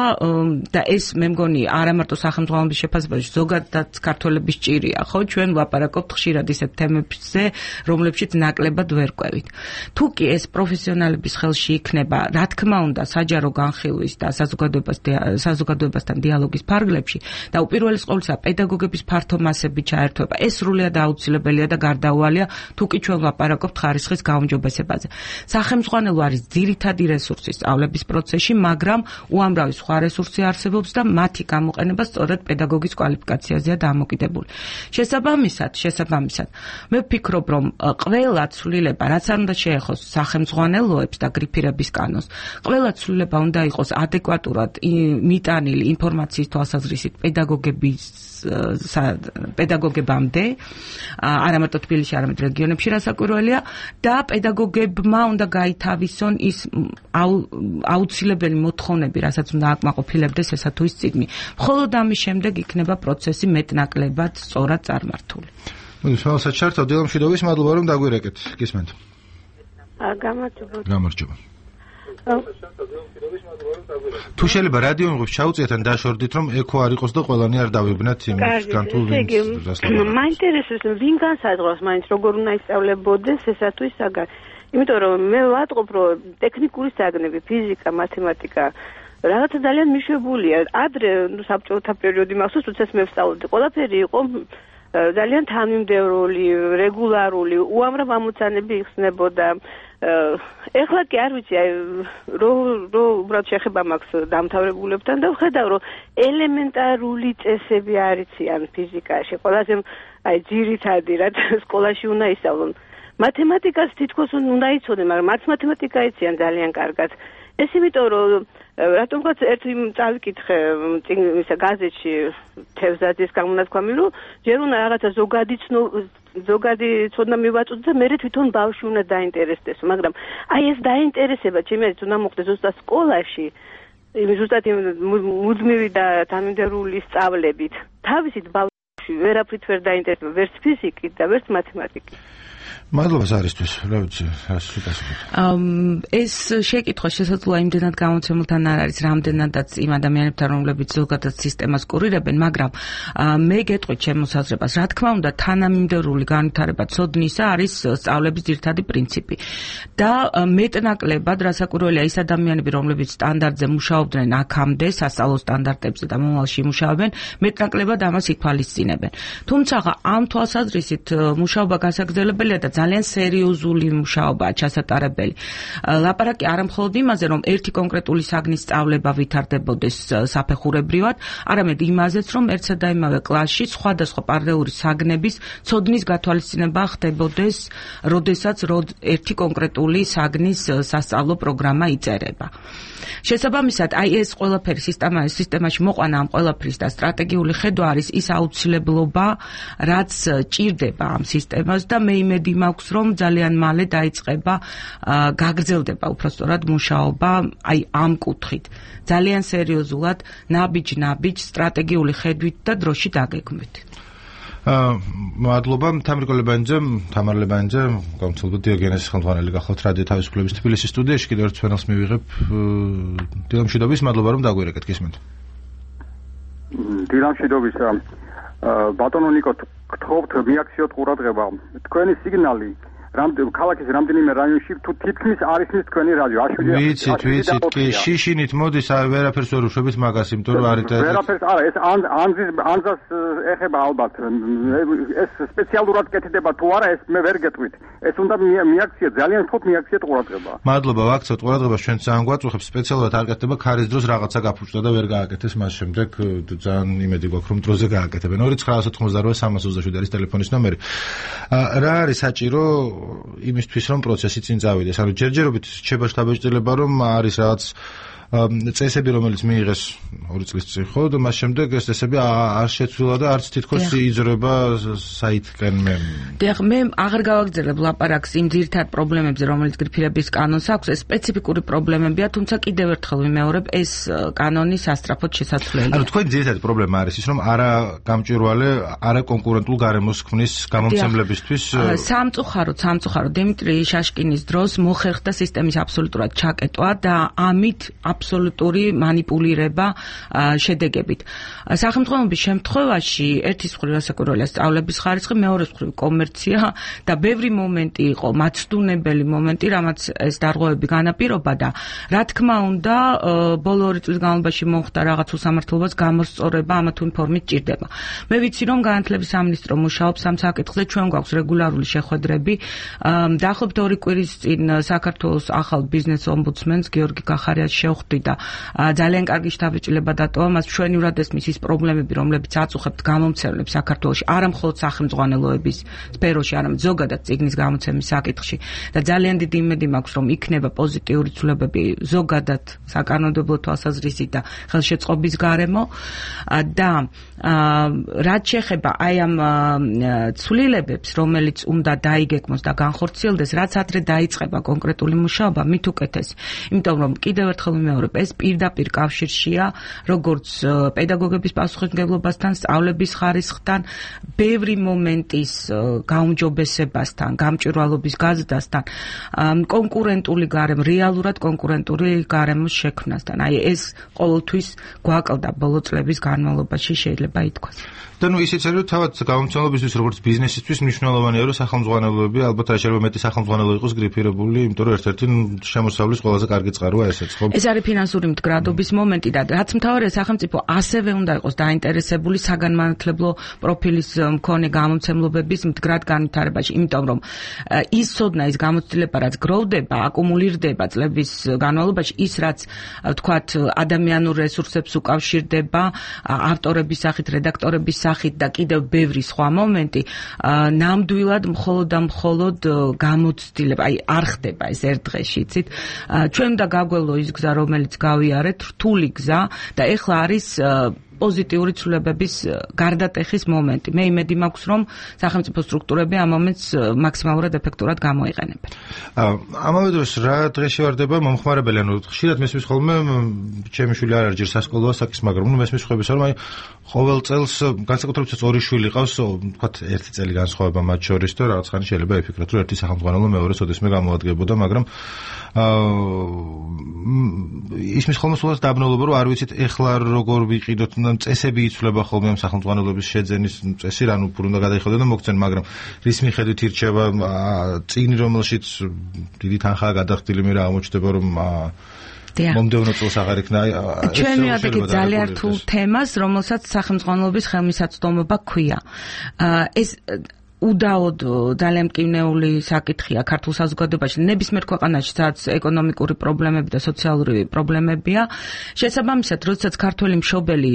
და ეს მე მგონი არა მარტო სახელმძღვანელობის შეფასებაში, ზოგადად ქართველების ჭირია, ხო, ჩვენ ვაპარაკობთ ხშირად ისეთ თემებზე, რომლებშიც ნაკლებად ვერ ყვევით. თუ კი ეს პროფესიონალების ხელში იქნება, რა თქმა უნდა, საჯარო განხილვის და საზოგადოებასთან დიალოგის ფარგლებში და უპირველეს ყოვლისა პედაგოგების ფართო მასების ჩაერთვება, ეს სრულად აუცილებელია და გარდაუვალია, თუ კი ჩვენ ვაპარაკობთ ხარისხის გაუმჯობესებაზე. სახელმძღვანელო არის ძირითადი რესურსი სწავლების პროცესში, მაგრამ უამრავი სხვა რესურსი არსებობს და მათი გამოყენება სწორედ პედაგოგის კვალიფიკაციაზეა დამოკიდებული. შესაბამისად, მე ვფიქრობ, რომ ყველა ცვლილება, რაც არ უნდა შეეხოს სახელმძღვანელოებს და გრიფირების კანონს, ყველა ცვლილება უნდა იყოს ადეკვატურად მიტანილი ინფორმაციის თვალსაზრისით პედაგოგებამდე, არა მარტო თბილისში, არამედ რეგიონებში რასაკვირველია და პედაგოგებმა უნდა გაითავისონ ის აუცილებელი მოთხოვნები, რასაც უნდა აკმაყოფილებდეს ესა თუ ის წიგნი. მხოლოდ ამის შემდეგ იქნება პროცესი მეტნაკლებად სწორად წარმართული. მოდი, სულ საერთოდ დილამშვიდობის, მადლობა რომ დაგვირეკეთ. გისმენთ. გამარჯობა. თუ შეიძლება რადიო მიღებს ჩაუწიეთ ან დაშორდით რომ ეკო არ იყოს და ყველანი არ დავიბნათ იმისგან თუ მაინტერესებს ვინ განსაზღვრავს მაინც როგორ უნდა ისწავლებოდეს ესა თუ ის საგანი. იმიტომ რომ მე ვატყობ რომ ტექნიკური საგნები, ფიზიკა, მათემატიკა რაღაცა ძალიან მიშვებულია. ადრე საბჭოთა პერიოდი მახსოვს, როდესაც მე ვსწავლობდი, ყველაფერი იყო ძალიან თანმიმდევრული, რეგულარული, უამრავ ამოცანები იხსნებოდა. ეხლა კი არ ვიცი, რო უბრალოდ შეხება მაქვს დამთავრებულებთან და ვხედავ, რომ ელემენტარული წესები არ იციან ფიზიკაში. ყველაზე ძირითადი, რაც სკოლაში უნდა ისწავლონ. მათემატიკას თითქოს უნდა იცოდნენ, მაგრამ არც მათემატიკა იციან ძალიან კარგად. ეს იმიტომ, რომ რატომღაც ერთი წავიკითხე ისა გაზეთში თევზაძის გამონათქვამი, რომ ჯერ უნდა რაღაცა ზოგადი ცოდნა მივაწოდო და მე თვითონ ბავშვი უნდა დაინტერესდეს, მაგრამ აი ეს დაინტერესება ჩემი აზრით უნდა მოხდეს ზუსტად სკოლაში, ზუსტად მუდმივი და თანმიმდევრული სწავლებით. თავისით ბავშვი ვერაფრით ვერ დაინტერესება, ვერც ფიზიკით და ვერც მათემატიკით. მადლობა ზარისთვის, რა ვიცი, რას ვიტყვით. ეს შეკითხვა შესაძლოა იმდენად გამოცემულთან არ არის, რამდენადაც იმ ადამიანებთან, რომლებიც ზოგადად სისტემას კურირებენ, მაგრამ მე გეტყვით ჩემს საზრებას, რა თქმა უნდა, თანამიმდევრული განვითარება ცოდნისა არის სწავლების ძირითადი პრინციპი. და მეტნაკლებად, რასაკვირველია, ის ადამიანები, რომლებიც სტანდარტზე მუშაობდნენ აქამდე, სასწავლო სტანდარტებზე და მომავალში მუშაობენ, მეტნაკლებად ამას ითვალისწინებენ. თუმცა ამ თვალსაზრისით მუშაობა გასაგრძელებელია და ძალიან სერიოზული მუშაობაა ჩასატარებელი. ლაპარაკი არა მხოლოდ იმაზე, რომ ერთი კონკრეტული საგნის სწავლება ვითარდებოდეს საფეხურებრივად, არამედ იმაზეც, რომ ერთსა და იმავე კლასში სხვადასხვა პარალელური საგნების ცოდნის გათვალისწინება ხდებოდეს, როდესაც ერთი კონკრეტული საგნის სასწავლო პროგრამა იწერება. შესაბამისად, ეს ყველაფერი სისტემაში მოყვანა ამ ყველაფრის და სტრატეგიული ხედვა არის ის აუცილებლობა, რაც ჭირდება ამ სისტემას და მე იმედი მაქვს, რომ ძალიან მალე დაიწყება, გაგრძელდება უბრალოდ მუშაობა ამ კუთხით. ძალიან სერიოზულად, ნაბიჯ სტრატეგიული ხედვით და დროში დაგეგმვით. მადლობა თამარ ლებანიძე, გამომცემლობა დიოგენეს ხელმძღვანელი გახლავთ რადიო თავისუფლების თბილისის სტუდიაში. კიდევ ერთ ფენელს მივიღებ. დილამშვიდობის, მადლობა რომ დაგვირეკეთ, გისმენთ. დილამშვიდობისა. ბატონო ნიკო, გთხოვთ მიაქციოთ ყურადღება. თქვენი სიგნალი ქალაქის რამდენიმე რაიონში თუ თითქმის არის ის თქვენი რადიო. ვიცით, კი, შიშინით მოდის, ვერაფერს ვერ უშვებით მაგას, იმიტომ რომ არის ვერაფერს არა, ეს ანზას ეხება ალბათ. ეს სპეციალურად კეთდება თუ არა, ეს მე ვერ გეტყვით. ეს უნდა მიაქციეთ, ძალიან ვთქვით მიაქციეთ ყურადღება. მადლობა, ვაქციოთ ყურადღებას, ჩვენ ძალიან გვაწუხებს, სპეციალურად არ გაკეთდება ქარის დროს რაღაცა გაფუჭდა და ვერ გააკეთეს, მას შემდეგ ძალიან იმედი გვაქვს, რომ დროზე გააკეთებენ. 2988327 არის ტელეფონის ნომერი. რა არის საჭირო იმისთვის რომ პროცესი წინ წავიდეს. ანუ ჯერჯერობით რჩება შთაბეჭდილება, რომ არის რაღაც წესები, რომელიც მიიღეს 2 წლის წინ, ხო, და მას შემდეგ ეს წესები არ შეცვლილა და არც თითქოს იზრება საითკენ მე. დიახ, მე აღარ გავაგრძელებ ლაპარაკს იმ ძირითად პრობლემებზე, რომელიც გრიფირების კანონს აქვს. ეს სპეციფიკური პრობლემებია, თუმცა კიდევ ერთხელ ვიმეორებ, ეს კანონი სასწრაფოდ შესაძლებელია. ანუ თქვენი ძირითადი პრობლემა არის ის, რომ არა გამჭვირვალე, არა კონკურენტულ გარემოს ქმნის გამომცემლებისთვის. სამწუხაროდ დიმიტრი შაშკინის დროს მოხერხდა სისტემის აბსოლუტურად ჩაკეტვა და ამით აბსოლუტური манипуლირება შედეგებით. სახელმწიფოების შემთხვევაში ერთის მხრივ რასაკვირველია სწავლების ხარისხი, მეორეს მხრივ კომერცია და ბევრი მომენტი იყო, მაცდუნებელი მომენტი, რამაც ეს დარღვევები განაპირობა და რა თქმა უნდა, ბოლო 2 წლის განმავლობაში მოხდა რაღაც უსამართლობას გამოსწორება ამა თუ იმ ფორმით ჭირდება. მე ვიცი, რომ განათლების სამინისტრო მუშაობს ამ საკითხზე, ჩვენ გვაქვს რეგულარული შეხვედრები. დაახლოებით 2 კვირის წინ საქართველოს ახალ ბიზნეს ომბუდსმენს გიორგი კახარიას შევხვდი და ძალიან კარგი შთაბეჭდილება დატოვა მას ჩვენივრად ესმის ის პრობლემები, რომლებიც აწუხებთ გამომცემლებს საქართველოში, არა მხოლოდ სახელმწიფოების სფეროში, არამედ ზოგადად წიგნის გამოცემის საკითხში და ძალიან დიდი იმედი მაქვს, რომ იქნება პოზიტიური ცვლილებები ზოგადად საკანონმდებლო თვალსაზრისით და ხელშეწყობის გარემო და რაც შეეხება აი ამ ცვლილებებს, რომელიც უნდა დაიგეგმოს და განხორციელდეს, რაც ადრე დაიწყება კონკრეტული მუშაობა, მით უკეთეს. იმიტომ რომ კიდევ ერთხელ ვიმეორებ, ეს პირდაპირ კავშირშია, როგორც პედაგოგების პასუხისმგებლობასთან, სწავლების ხარისხთან, ბევრი მომენტის გაუმჯობესებასთან, გამჭვირვალობის გაზრდასთან, კონკურენტული გარემო, რეალურად კონკურენტული გარემოს შექმნასთან. აი ეს ყოველთვის გვაკლდა ბოლო წლების განმავლობაში, შეიძლება ითქვას. და ნუ ისიც არის, რომ თავად გამომცემლებისთვის, როგორც ბიზნესისთვის მნიშვნელოვანია, რომ სახელმწიფოები ალბათ რა შეიძლება მეტი სახელმწიფო იყოს გრიფირებული, იმიტომ რომ ერთ-ერთი შემოსავლის ყველაზე კარგი წყაროა ესეც, ხო? ეს არის ფინანსური მდგრადობის მომენტი და რაც მთავარია, სახელმწიფო ასევე უნდა იყოს დაინტერესებული საგანმანათლებლო პროფილის მქონე გამომცემლობების მდგრად განვითარებაში, იმიტომ რომ ის ცოდნა, ის გამოცდილება, რაც გროვდება, აკუმულირდება წლების განმავლობაში, ის რაც ვთქვათ, ადამიანურ რესურსებს უკავშირდება, ავტორების სახით, რედაქტორების სახით და კიდევ ბევრი სხვა მომენტი, ნამდვილად მხოლოდ გამოცდილება, აი არ ხდება ეს ერთ დღეში, იცით? ჩვენ უნდა გაგვევლო ის გზა, რომელიც გავიარეთ, რთული გზა და ეხლა არის პოზიტიური ცვლილებების გარდატეხის მომენტი. მე იმედი მაქვს, რომ სახელმწიფო სტრუქტურები ამ მომენტს მაქსიმალურად ეფექტურად გამოიყენებენ. ამავე დროს რა დღეში ვარდება მომხმარებელი, ანუ ხშირად მესმის ხოლმე ჩემი შვილი არ არჯერ სასკოლო ასაკის, მაგრამ მესმის ხვების რომ აი ყოველ წელს განსაკუთრებით ორი შვილი ყავს, ვთქვათ, ერთი წელი განსხვავება მათ შორის და რაღაც ხანი შეიძლება იფიქროთ, რომ ერთი სახელმძღვანელო მეორე სოდესმე გამოადგებოდა, მაგრამ ისმის ხოლმე სულაც დაბნელობა, რომ არ ვიცით ეხლა როგორ ვიყიდოთ, წესები იცვლება ხოლმე ამ სახელმძღვანელოების შეძენის წესი, რანუ უფრო უნდა გადაიხადოს და მოგცენ, მაგრამ რის მიხედვით ირჩევა წიგნი, რომელშიც დიდი თანხაა გადახდილი, მე რა აღმოჩნდება, რომ მომდევნო წელს აღარ იქნა. ჩვენ ვიადეთ ძალიან რთულ თემას, რომელსაც სახელმძღვანელობის ხელმისაწვდომობა ქვია. ეს უდაოდ ძალიან მკვნეული საკითხია ქართულ საზოგადოებაში, ნებისმიერ ქვეყანაში, სადაც ეკონომიკური პრობლემები და სოციალური პრობლემებია. შესაბამისად, როდესაც ქართველი მშობელი,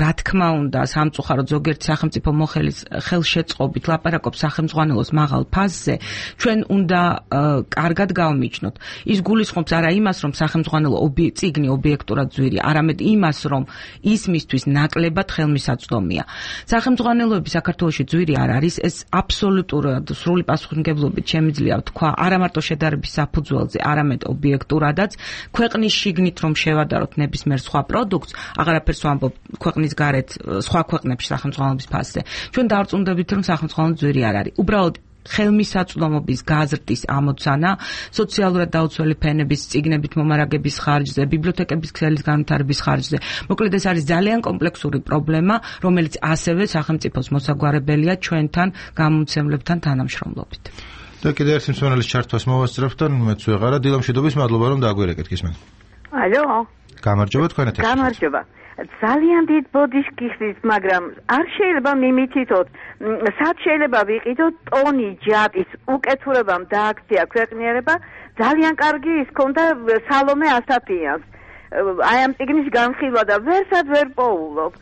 რა თქმა უნდა, სამწუხაროდ ზოგიერთი სახელმწიფო მოხელის ხელშეწყობით ლაპარაკობს სახელმძღვანელოს მაღალ ფასზე, ჩვენ უნდა კარგად გავმიჯნოთ. ის გულისხმობს არა იმას, რომ სახელმძღვანელო წიგნი ობიექტურად ძვირი, არამედ იმას, რომ ის მისთვის ნაკლებად ხელმისაწვდომია. სახელმძღვანელოები საქართველოში ძვირი არ არის, ეს აბსოლუტურად სრული პასუხისმგებლობით შემიძლია ვთქვა არა მარტო შედარების საფუძველზე, არამედ ობიექტურადაც, ქვეყნის შიგნით რომ შევადაროთ ნებისმიერ სხვა პროდუქტს, აღარაფერს ვამბობ ქვეყნის გარეთ სხვა ქვეყნებში სახელმძღვანელობის ფასზე. ჩვენ დავწუნდებით, რომ სახელმძღვანელო ძვირი არ არის. უბრალოდ ხელმისაწვდომობის გაზრდის ამოცანა, სოციალურად დაუცველი ფენების წიგნებით მომარაგების ხარჯზე, ბიბლიოთეკების ქსელის განვითარების ხარჯზე. მოკლედ ეს არის ძალიან კომპლექსური პრობლემა, რომელიც ასევე სახელმწიფოს მოსაგვარებელია ჩვენთან გამომცემლებთან თანამშრომლობით. და კიდევ ერთი მსმენელის ჩართვას მოვასწრებთ და მეც ვეღარა დილამშვიდობის, მადლობა რომ დაგვირეკეთ გისმენთ. ალო. გამარჯობა თქვენ ეთერში. გამარჯობა. ძალიან დიდ ბოდიშს გიხსნით, მაგრამ არ შეიძლება მიმითითოთ, სად შეიძლება ვიყიდოთ ტონი ჯატის უკეთურებამ დააქცია ქვეყნიერება, ძალიან კარგი ის ქონდა სალომე ასათიანს. აი ამ წიგნის განხილვა და ვერსად ვერ პოულობ.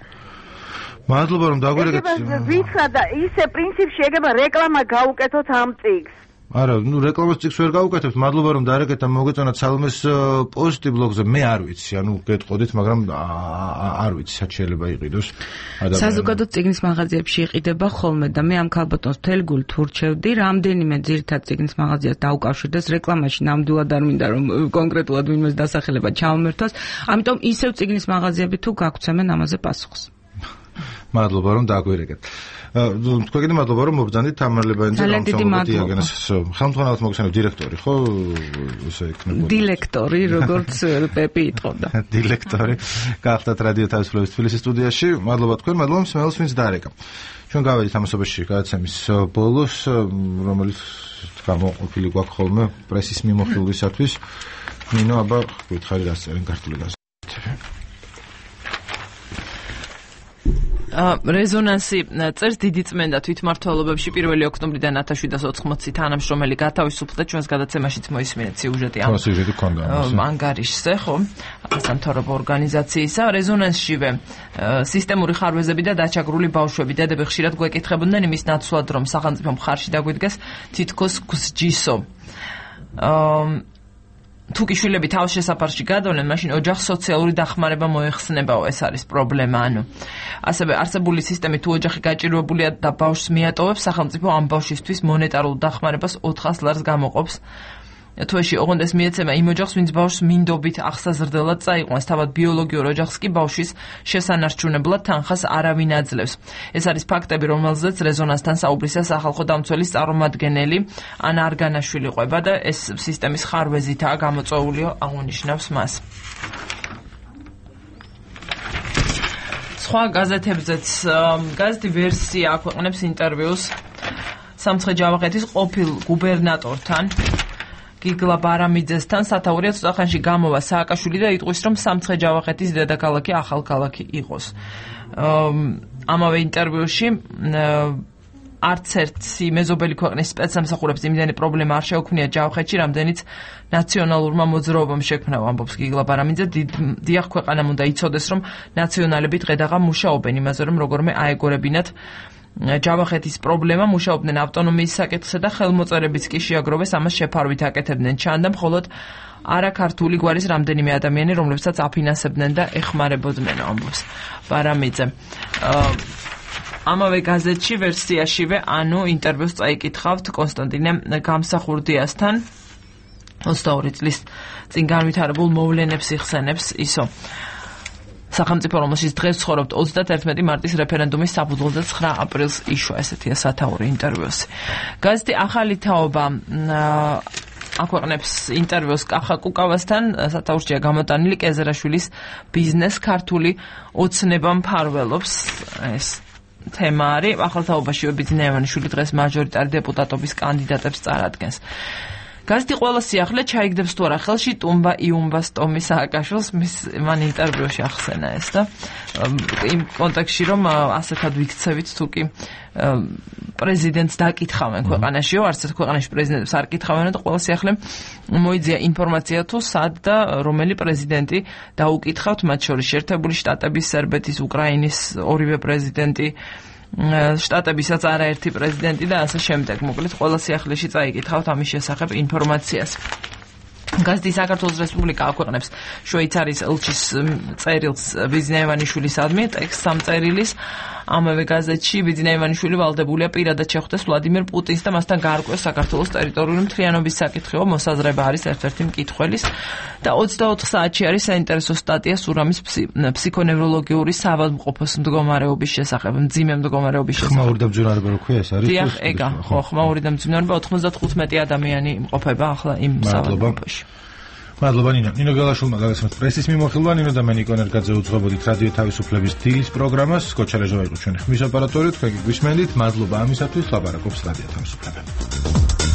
მადლობა რომ დაგვირეკეთ. ვიცხა და ისე პრინციპში ეგება რეკლამა გაუკეთოთ ამ წიგს. არა, რეკლამის წიგს ვერ გავუკეთებთ. მადლობა რომ დარეკეთ და მოგეწონათ სალომეს პოსტი ბლოგზე. მე არ ვიცი, ანუ გეტყოდით, მაგრამ არ ვიცი, სად შეიძლება იყიდოს ადამიანი. საზოგადო წიგნის მაღაზიებში იყიდება ხოლმე და მე ამ ქალბატონს მთელი გულით ურჩევდი, რამდენიმე ძირითად წიგნის მაღაზიას დაუკავშირდეს რეკლამაში, ნამდვილად არ მინდა რომ კონკრეტულად ვინმეს დასახელება ჩავმერთოს, ამიტომ ისევ წიგნის მაღაზიები თუ გაგვცემენ ამაზე პასუხს. მადლობა რომ დაგვირეკეთ. თქვენი მადლობა რომ მობრძანდით თამარლებანიძე გამოსამოდიაგენს ხელმძღვანელად მოგხსენებ დირექტორი, ხო? ესე იქნება. დილექტორი, როგორც პეპი იტყოდა. დილექტორი. გახდათ რადიო თავისუფლების თბილისის სტუდიაში. მადლობა თქვენ, მადლობა მსმენელს, ვინც დაარეკა. ჩვენ გავედით ამასობაში გადაცემის ბოლოს, რომელიც გამოყოფილი გვაქვს ხოლმე პრესის მიმოხილვისათვის. ნინო, აბა გითხარი რა წერენ ქართული გაზეთები. რეზონანსი წერს დიდი წმენდა თვითმმართველობებში 1 ოქტომბრიდან 1780 თანამშრომელი გათავისუფლდა, ჩვენს გადაცემაშიც მოისმინეთ სიუჟეტი ამ ანგარიშზე, ხო? სამთავრობო ორგანიზაციისა. რეზონანსშივე სისტემური ხარვეზები და დაჩაგრული ბავშვები დედები ხშირად გვეკითხებოდნენ იმის ნაცვლად, რომ სახელმწიფო მხარში დაგვიდგეს თითქოს გსჯისო. თუ კი შვილები თავს შესაფარში გადავლენ, მაშინ ოჯახს სოციალური დახმარება მოეხსნებაო, ეს არის პრობლემა. ანუ ასევე არსებული სისტემით თუ ოჯახი გაჭირვებულია და ბავშვს მიატოვებს, სახელმწიფო ამ ბავშვისთვის მონეტარულ დახმარებას 400 ლარს გამოყოფს. თვეში ოღონდ ეს მიეცემა იმ ოჯახს, ვინც ბავშვს მინდობით აღსაზრდელად წაიყვანს, თავად ბიოლოგიურ ოჯახს კი ბავშვის შესანარჩუნებლად თანხას არავინ აძლევს. ეს არის ფაქტები, რომელზეც რეზონანსთან საუბრისას სახალხო დამცველის წარმომადგენელი ანა არგანაშვილი ყვება და ეს სისტემის ხარვეზითაა გამოწვეულიო, აღნიშნავს მას. სხვა გაზეთებზეც გაზეთი ვერსია აქვეყნებს ინტერვიუს სამცხე-ჯავახეთის ყოფილ გუბერნატორთან გიგლა ბარამიძესთან. სათაურია ცოტახანში გამოვა სააკაშვილი და იტყვის, რომ სამცხე-ჯავახეთის დედაქალაქი ახალქალაქი იყოს. ამავე ინტერვიუში არც ერთი მეზობელი ქვეყნის სპეცსამსახურებს იმდენი პრობლემა არ შეუქმნია ჯავხეთში, რამდენიც ნაციონალურმა მოძრაობამ შექმნა, ამბობს გიგლა ბარამიძე. დიახ, ქვეყანამ უნდა იცოდეს, რომ ნაციონალები დღედაღა მუშაობენ იმაზე, რომ როგორმე აეგორებინათ ჯავახეთის პრობლემა, მუშაობდნენ ავტონომიის საკითხზე და ხელმოწერებიც კი შეაგროვეს, ამას შეფარვით აკეთებდნენ. ჩანდა მხოლოდ არაქართული გვარის რამდენიმე ადამიანი, რომლებსაც აფინანსებდნენ და ეხმარებოდნენ, ამბობს ბარამიძე. ამავე გაზეთში ვერსიაშივე, ანუ ინტერვიუს წაიკითხავთ კონსტანტინე გამსახურდიასთან 22 წლის წინ განვითარებულ მოვლენებს იხსენებს ისო. სახელმწიფო რომელშიც დღეს ცხოვრობთ 31 მარტის რეფერენდუმის საფუძველზე 9 აპრილს იშვა, ესეთია სათაური ინტერვიუსი. გაზეთი ახალი თაობა აქვეყნებს ინტერვიუს კახა კუკავასთან, სათაურშია გამოტანილი კეზერაშვილის ბიზნეს ქართული ოცნება მფარველობს ეს თემა არის. ახალ თაობაში ბიძინა ივანიშვილი დღეს მაჟორიტარი დეპუტატობის კანდიდატებს წარადგენს. გაზეთი ყველა სიახლე ჩაიგდებს თუ არა ხელში ტუმბა იუმბას ტომი სააკაშვილს, მან ინტერვიუში ახსენა ეს და იმ კონტექსტში რომ ასეთად ვიქცევით თუ კი პრეზიდენტს დაკითხავენ ქვეყანაშიო, არც ერთ ქვეყანაში პრეზიდენტს არ კითხავენ და ყველა სიახლე მოიძია ინფორმაცია თუ სად და რომელი პრეზიდენტი დაუკითხავთ, მათ შორის შეერთებული შტატების, სერბეთის, უკრაინის ორივე პრეზიდენტი, შტატებისაც არაერთი პრეზიდენტი და ასე შემდეგ. მოკლედ ყველა სიახლეში წაიკითხავთ ამის შესახებ ინფორმაციას. გაზეთი საქართველოს რესპუბლიკა აქვეყნებს შვეიცარიის ელჩის წერილს ბიძინა ივანიშვილისადმი, ტექსტს ამ წერილის. ამავე გაზეთში ბიძინა ივანიშვილი ვალდებულია პირადად შეხვდეს ვლადიმერ პუტინს და მასთან გაარკვეს საქართველოს ტერიტორიული მთლიანობის საკითხი, მოსაზრება არის ერთ-ერთი მკითხველის და 24 საათში არის საინტერესო სტატია სურამის ფსიქონევროლოგიური საავადმყოფოს მდგომარეობის შესახებ, მძიმე მდგომარეობის შესახებ. ხმაური დამძიმარება რო ქვია ეს არის? დიახ, ეგა, ხო, ხმაური დამძიმარება 95 ადამიანი იმყოფება ახლა იმ საავადმყოფოში. მადლობა ნინო გელაშვილმა გაგაცნოთ პრესის მიმოხილვა. ნინო და მე ნიკო ნერგაძე უძღვებოდით რადიო თავისუფლების დილის პროგრამას. კოჩარეჟო იყო ჩვენი ხმის ოპერატორი, თქვენ გიგვისმენდით. მადლობა ამისათვის, ლაპარაკობს რადიო თავისუფლება.